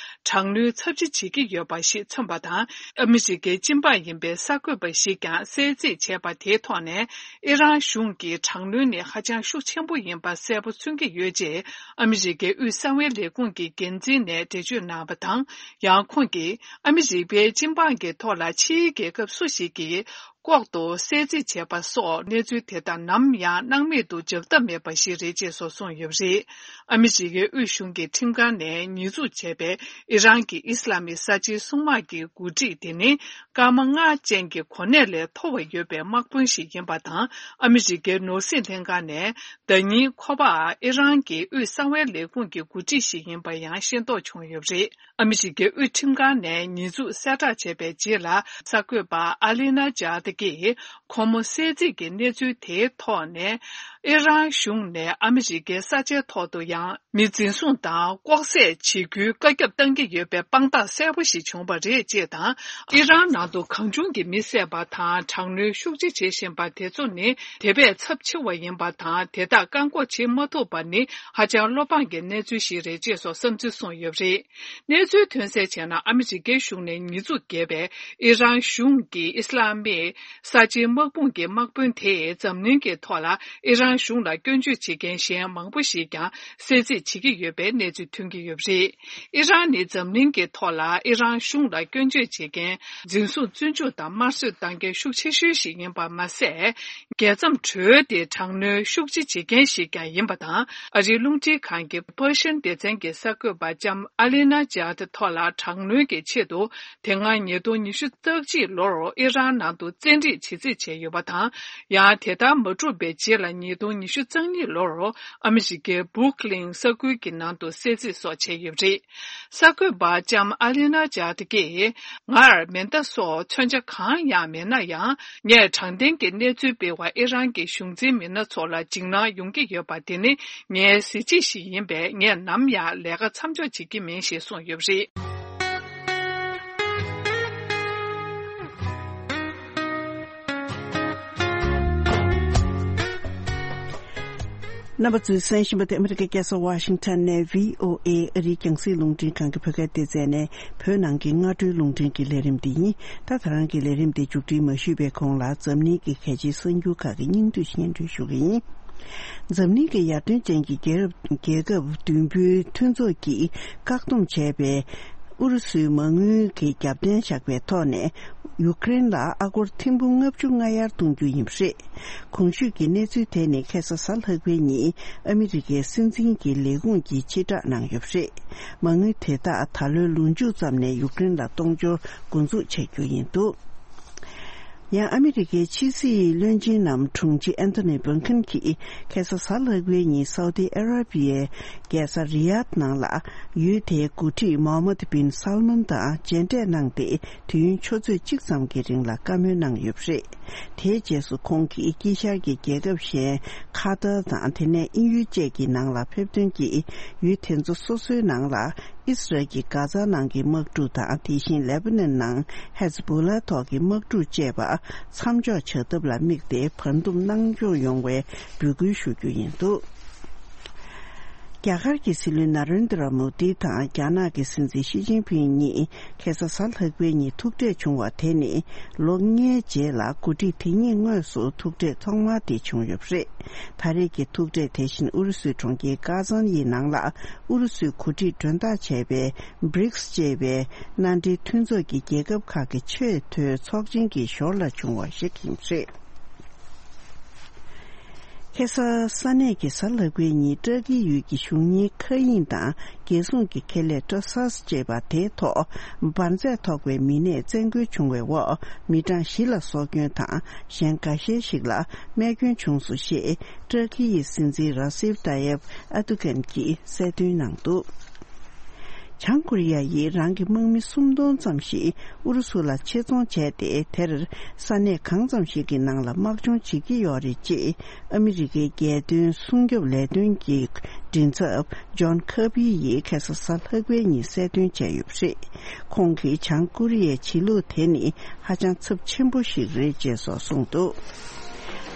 དྲག་གནོན་ཚབས་ཆེ་བྱེད་ཀྱི་ཡོད་པ་ཞིག་མཚོན་པ་དང་། ཨ་མི་རི་ཀའི་སྤྱི་འབངས་ཡིན་པའི་གསར་འགོད་པ་ཞིག་ཀྱང་གསལ་རྩིས་བྱས་པ་དེའི་ཐོག་ནས། ཨི་རན་གཞུང་གི་དྲག་གནོན་ནི་ཧ་ཅང་ཤུགས་ཆེན་པོ་ཡིན་པ་གསལ་པོ་མཚོན་གྱི་ཡོད་ཅེས། ཨ་མི་རི་ཀའི་དབུས་གསང་བའི་ལས་ཁུངས་ཀྱི་འགན་འཛིན་ནས་འགྲེལ་བརྗོད་གནང་བ་དང་། ཡང་ཁོང་གིས་ཨ་མི་རི་ཀའི་སྤྱི་འབངས་ཀྱི་ཐོག་ལ་ཕྱིའི་རྒྱལ་ཁབ་སུ་ཞིག་གིས་ལྐོག་ཏུ་གསལ་རྩིས་བྱས་པ་སོགས་གནས་ཚུལ་དེ་དག་ནམ་ཡང་སྣང་མེད་དུ་འཇགས་ཐབས་མེད་པ་ཞིག་རེད་ཅེས་སོགས་གསུངས་ཡོད་པ་རེད། ཨ་མི་རི་ཀའི་དབུས་གཞུང་གི་ཁྲིམས་ཁང་ནས་ཉེས་འཛུགས་བྱས་པའི་ཨི་རན་གྱི་ཨི་སི་ལ་མི་གསར་བརྗེའི་སྲུང་དམག་གི་འགོ་ཁྲིད་དེ་ནི། སྐར་མ་ལྔ་ཅན་གྱི་གོ་གནས་ལས་མཐོ་བ་ཡོད་པའི་དམག་དཔོན་ཞིག་ཡིན་པ་དང་། ཨ་མི་རི་ཀའི་ནོར་སྲིད་ལྷན་ཁང་ནས་ཟླ་ཉིན་ཁོ་པ་ཨི་རན་གྱི་དབུས་གསང་བའི་ལས་ཁུངས་ཀྱི་འགོ་ཁྲིད་ཞིག་ཡིན་པ་ཡང་ཤེས་རྟོགས་བྱུང་ཡོད་པ་རེད། ཨ་མི་རི་ཀའི་དབུས་ཁྲིམས་ཁང་ནས་ཉེས་འཛུགས་གསལ་བསྒྲགས་བྱས་པའི་རྗེས་ལ། གསར་འགོད་པ་ཨ་ལི་ན་ཇཱ་ཏི་ཀྱིས་ཁོ་མོ་གསལ་རྩིས་ཀྱི་གནས་ཚུལ་དེའི་ཐོག་ནས། ཨི་རན་གཞུང་ནས་ཨ་མི་རི་ཀའི་ས་ཆའི་ཐོག་ཏུ་ཡང་མི་འཛིན་བཟུང་དང་ལྐོག་བསད་བྱེད་རྒྱུའི་བཀའ་ཁྱབ་བཏང་གི་ཡོད་པའི་དཔང་རྟགས་གསལ་པོ་ཞིག་བྱུང་བ་རེད་ཅེས་དང་། ཨི་རན་ནང་དུ་གང་བྱུང་གིས་མི་བསད་པ་དང་དྲག་གནོན་ཤུགས་ཆེ་བྱེད་བཞིན་པ་དེ་ཚོ་ནི་དེ་བས་ཚབས་ཆེ་བ་ཡིན་པ་དང་། དེ་དག་བཀག་འགོག་བྱེད་མ་ཐུབ་པ་ནི་ཧ་ཅང་བློ་ཕངས་ཀྱི་གནས་ཚུལ་ཞིག་རེད་ཅེས་སོགས་བསམ་ཚུལ་གསུངས་ཡོད་པ་རེད། གནས་ཚུལ་ཐོན་གསལ་བྱས་ན། ཨ་མི་རི་ཀའི་གཞུང་ནས་ཉེས་འཛུགས་བརྒྱབ་པའི་ཨི་རན་གཞུང་གི་ཨི་སི་ལ་མི་གསར་བརྗེའི་དམག་དཔུང་གི་དམག་དཔོན་དེས་འཛམ་གླིང་གི་ཐོག་ལ་ཨི་རན་གཞུང་ལ་སྐྱོན་བརྗོད་བྱེད་མཁན་གཞན་མང་པོ་ཞིག་ཀྱང་གསལ་རྩིས་བྱེད་ཀྱི་ཡོད་པའི་གནས་ཚུལ་ཐོན་གྱི་ཡོད་པ་རེད། ཨི་རན་ནི་འཛམ་གླིང་གི་ཐོག་ལ་ཨི་རན་གཞུང་ལ་སྐྱོན་བརྗོད་བྱེད་མཁན་འཛིན་བཟུང་བཙོན་འཇུག་དང་དམར་གསོད་བཏང་མཁན་ཤུགས་ཆེ་ཤོས་ཤིག་ཡིན་པ་མ་ཟད། རྒྱལ་མཚམས་གྲོལ་ཏེ་དྲག་གནོན་ཤུགས་ཆེ་བྱེད་མཁན་ཞིག་ཀྱང་ཡིན་པ་དང་། ཨ་རིའི་རླུང་འཕྲིན་ཁང་གི་པར་ཤན་སྡེ་ཚན་གྱི་གསར་འགོད་པ་ལྕམ་ཨ་ལི་ན་ཇཱ་ཏི་ཐོག་ལ་དྲག་གནོན་གྱི་ཆེད་དུ། དེ་སྔ་ཉིས་སྟོང་ཉི་ཤུ་རྩ་གཅིག་ལོར་ཨི་རན་ནང་དུ་བཙན་ཁྲིད་བྱེད་རྩིས་བྱས་ཡོད་པ་དང་། ཡང་དེ་ལྟར་མ་གྲུབ་པའི་རྗེས་ལ་ཉིས་སྟོང་ཉི་ཤུ་རྩ་གཉིས་ལོར་ཨ་མི་རི་ཀའི་བུར་ཀི་ལིན་ས་ཁུལ་གྱི་ནང་དུ་གསེད་རྩིས་སོགས་བྱས་ཡོད་པ་རེད། གསར་འགོད་པ་ལྕམ་ཨ་ལི་ན་ཇཱ་ཏི་ཀས། ངར་མེ་མདའ་སོགས་མཚོན་ཆ་གང་ཡང་མེད་ན་ཡང་། ངས་དྲང་བདེན་གྱི་གནས་ཚུལ་སྤེལ་བར་ཨི་རན་གྱི་གཞུང་འཛིན་མི་སྣ་ཚོ་ལ་འཇིགས་སྣང་ཡོང་གི་ཡོད་པ་དེ་ནི་ངའི་གཟི་བརྗིད་ཞིག་ཡིན་པས། ངས་ནམ་ཡང་ལས་ཀ་མཚམས་འཇོག་བྱེད་ཀྱི་མིན་ཞེས་གསུངས་ཡོད་པ་རེད། རྣམ་པ་ཚོས་གསན་བཞིན་པ་དེ་ཨ་མི་རི་ཀའི་རྒྱལ་ས་ཝ་ཤིང་ཊོན་ནས་བྷི་ཨོ་ཨེ་ཨ་རིའི་རྒྱང་སྲིང་རླུང་འཕྲིན་ཁང་གི་བོད་སྐད་སྡེ་ཚན་ནས་བོད་ནང་གི་སྔ་དྲོའི་རླུང་འཕྲིན་གྱི་ལས་རིམ་འདི་ཡིན། ད་ད་རང་གི་ལས་རིམ་འདི་མཇུག་སྒྲིལ་མ་ཞུས་པའི་གོང་ལ། འཛམ་གླིང་གི་གལ་ཆེའི་གསར་འགྱུར་ཁག་གི་སྙིང་བསྡུས་སྙན་སྒྲོན་ཞུ་གི་ཡིན། འཛམ་གླིང་གི་ཡར་ཐོན་ཅན་གྱི་རྒྱལ་རབས་རྒྱལ་ཁབ་བདུན་པོའི་མཐུན་ཚོགས་ཀྱིས་བཀག་སྡོམ་བྱས་པའི་ཨུ་རུ་སུའི་མ་དངུལ་གྱི་རྒྱབ་རྟེན་བཞག་པའི་ཐོག་ནས། ཡུཀ་རེན་ལ་ཨ་སྒོར་ཐེར་འབུམ་ལྔ་བཅུ་ང་ལྔ་གཏོང་རྒྱུ་ཡིན་པ་རེད། གོང་ཞུས་ཀྱི་གནས་ཚུལ་དེ་ནི་ཁ་སང་གཟའ་ལྷག་པའི་ཉིན་ཨ་མི་རི་ཀའི་སྲིད་འཛིན་གྱི་ལས་ཁུངས་ཀྱིས་ཕྱིར་བསྒྲགས་གནང་ཡོད་པ་རེད། མ་དངུལ་དེ་དག་ད་ལོའི་ལོ་མཇུག་ཙམ་ནས་ཡུཀ་རེན་ལ་གཏོང་རྒྱུར་འགོ་འཛུགས་བྱ་རྒྱུ་ཡིན་འདུག་ཡང་ཨ་མི་རི་ཀའི་ཕྱི་སྲིད་བློན་ཆེན་ནམ་དྲུང་ཆེ་ཨན་ཐོ་ནི་བྷིན་ཁིན་གྱིས་ཁ་སང་གཟའ་ལྷག་པའི་ཉིན་སའུ་ཏི་ཨ་ར་པི་ཡའི་རྒྱལ་ས་རི་ཡཱད་ནང་ལ། ཡུལ་དེའི་འགོ་ཁྲིད་མོ་ཧམ་མད་བིན་སལ་མན་དང་མཇལ་འཕྲད་གནང་སྟེ། དུས་ཡུན་ཆུ་ཚོད་གཅིག་ཙམ་གྱི་རིང་ལ་བཀའ་མོལ་གནང་ཡོད་པ་རེད། དེའི་རྗེས་སུ་ཁོང་གིས་དཀྱིལ་ཤར་གྱི་རྒྱལ་ཁབ་གཞན་ཁ་ཏར་དང་དེ་ནས་དབྱིན་ཡུལ་བཅས་ཀྱི་ནང་ལ་ཕེབས་ཐོན་གྱིས། ཡུལ་དེ་ཚོ་སོ་སོའི་ནང་ལ་ཨིས་རལ་གྱི་གྷ་ཛ་ནང་གི་དམག་འཁྲུག་དང་། དེ་བཞིན་ལེ་བྷ་ནན་ནང་ཧེ་ཛ་བྷོ་ལ་ཐོག་གི་དམག་འཁྲུག་བཅས་པ་མཚམས་འཇོག་བྱ་ཐབས་ལ་དམིགས་ཏེ། བར་འདུམ་གནང་སྐྱོང་ཡོང་བའི་འབོད་སྐུལ་ཞུ་རྒྱུ་ཡིན་འདུག་རྒྱ་གར་གྱི་སྲིད་བློན་ན་རེན་དྲ་མོ་དི་དང་རྒྱ་ནག་གི་སྲིད་འཛིན་ཞི་ཅིན་ཕིང་གཉིས་ཁ་སང་གཟའ་ལྷག་པའི་ཉིན་ཐུག་འཕྲད་བྱུང་བ་དེ་ནི་ལོ་ལྔའི་རྗེས་ལ་འགོ་ཁྲིད་དེ་གཉིས་དངོས་སུ་ཐུག་འཕྲད་ཐོག་མ་དེ་བྱུང་ཡོད་པ་རེད། ད་རེས་ཀྱི་ཐུག་འཕྲད་དེ་བཞིན་ཨུ་རུ་སུའི་གྲོང་ཁྱེར་ཀ་ཛན་ཡི་ནང་ལ་ཨུ་རུ་སུས་གོ་སྒྲིག་མགྲོན་བདག་བྱས་པའི་བྷི་རིགས་ཅེས་པའི་མནའ་འབྲེལ་མཐུན་ཚོགས་ཀྱི་རྒྱལ་ཁབ་ཁག་གི་ཆེས་མཐོའི་ཚོགས་ཆེན་གྱི་ཞོར་ལ་བྱུང་བ་ཞིག་ཡིན་པ་རེད། ཁ་སང་ས་གནས་ཀྱི་གཟའ་ལྷག་པའི་ཉིན་ཏྲ་ཀི་ཡུལ་གྱི་གཞུང་གཉེར་མཁའ་དབྱིངས་དང་རྒྱལ་སྲུང་གི་ཁེ་ལས་ཏྲ་སཱས་ཅེས་པ་དེའི་ཐོག་འབར་རྫས་ཐོགས་པའི་མི་སྣས་བཙན་རྒོལ་བྱུང་བའི་འོག་མི་གྲངས་བཞི་ལ་སྲོག་སྐྱོན་དང་གཞན་འགའ་ཤས་ཤིག་ལ་རྨས་སྐྱོན་བྱུང་སོང་ཞེས་ཏྲ་ཀི་ཡི་སྲིད་འཛིན་ར་སིབ་ཏཱ་ཡེབ་ཨར་དུ་གན་གྱིས་གསལ་སྟོན་གནང་འདུག་བྱང་ཀོ་རི་ཡ་ཡིས་རང་གི་དམག་མི་སུམ་སྟོང་ཙམ་ཞིག་ཨུ་རུ་སུ་ལ་ཆེད་རྫོང་བྱས་ཏེ། དེར་ས་གནས་གང་ཙམ་ཞིག་གི་ནང་ལ་དམག་སྦྱོང་བྱེད་ཀྱི་ཡོད་རེད་ཅེས་ཨ་མི་རི་ཀའི་རྒྱལ་དོན་སྲུང་སྐྱོབ་ལས་དོན་གྱི་མགྲིན་ཚབ་ཇོན་ཁར་བྷི་ཡིས་ཁ་སང་གཟའ་ལྷག་པའི་ཉིན་གསལ་སྟོན་བྱས་ཡོད་པ་རེད། ཁོང་གིས་བྱང་ཀོ་རི་ཡའི་བྱེད་ལུགས་དེ་ནི་ཧ་ཅང་ཚབས་ཆེན་པོ་ཞིག་རེད་ཅེས་སོགས་གསུངས་འདུག་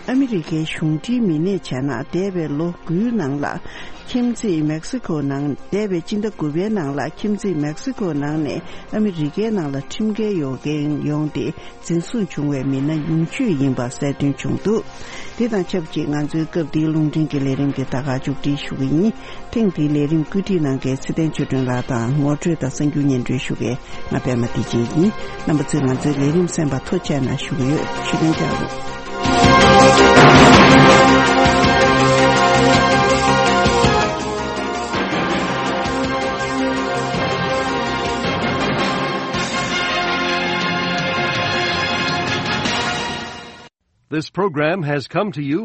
ཨ་མི་རི་ཀའི་གཞུང་འབྲེལ་མི་སྣས་བྱས་ན། འདས་པའི་ལོ་དགུའི་ནང་ལ་ཁྱིམ་མཚེས་མེག་སི་ཀོ་ནང་། འདས་པའི་སྤྱི་ཟླ་དགུ་པའི་ནང་ལ་ཁྱིམ་མཚེས་མེག་སི་ཀོ་ནང་ནས་ཨ་མི་རི་ཀའི་ནང་ལ་ཁྲིམས་འགལ་ཡོང་མཁན་ཡོང་སྟེ། འཛིན་བཟུང་བྱུང་བའི་མི་སྣ་ཉུང་ཤོས་ཡིན་པ་གསལ་སྟོན་བྱུང་འདུག་དེ་དང་ཆབས་ཅིག་ང་ཚོའི་སྐབས་འདིའི་རླུང་འཕྲིན་གྱི་ལས་རིམ་གྱི་ད་ག་མཇུག་སྒྲིལ་ཞུ་གི་ཡིན། ཐེངས་འདིའི་ལས་རིམ་བཀོད་སྒྲིག་གནང་མཁན་ཚེ་བརྟན་ཆོས་སྒྲོན་ལགས་དང་ངོ་སྤྲོད་དང་གསར་འགྱུར་སྙན་སྒྲོན་ཞུ་མཁན་ང་པད་མ་བདེ་ཆེན་ཡིན། རྣམ་པ་ཚོས་ང་ཚོའི་ལས་རིམ་གསན་པར་ཐུགས་རྗེ་གནང་ཞུ་གི་ཡོད། ཞུ་རྟེན་ལྕགས་རོགས། This program has come to you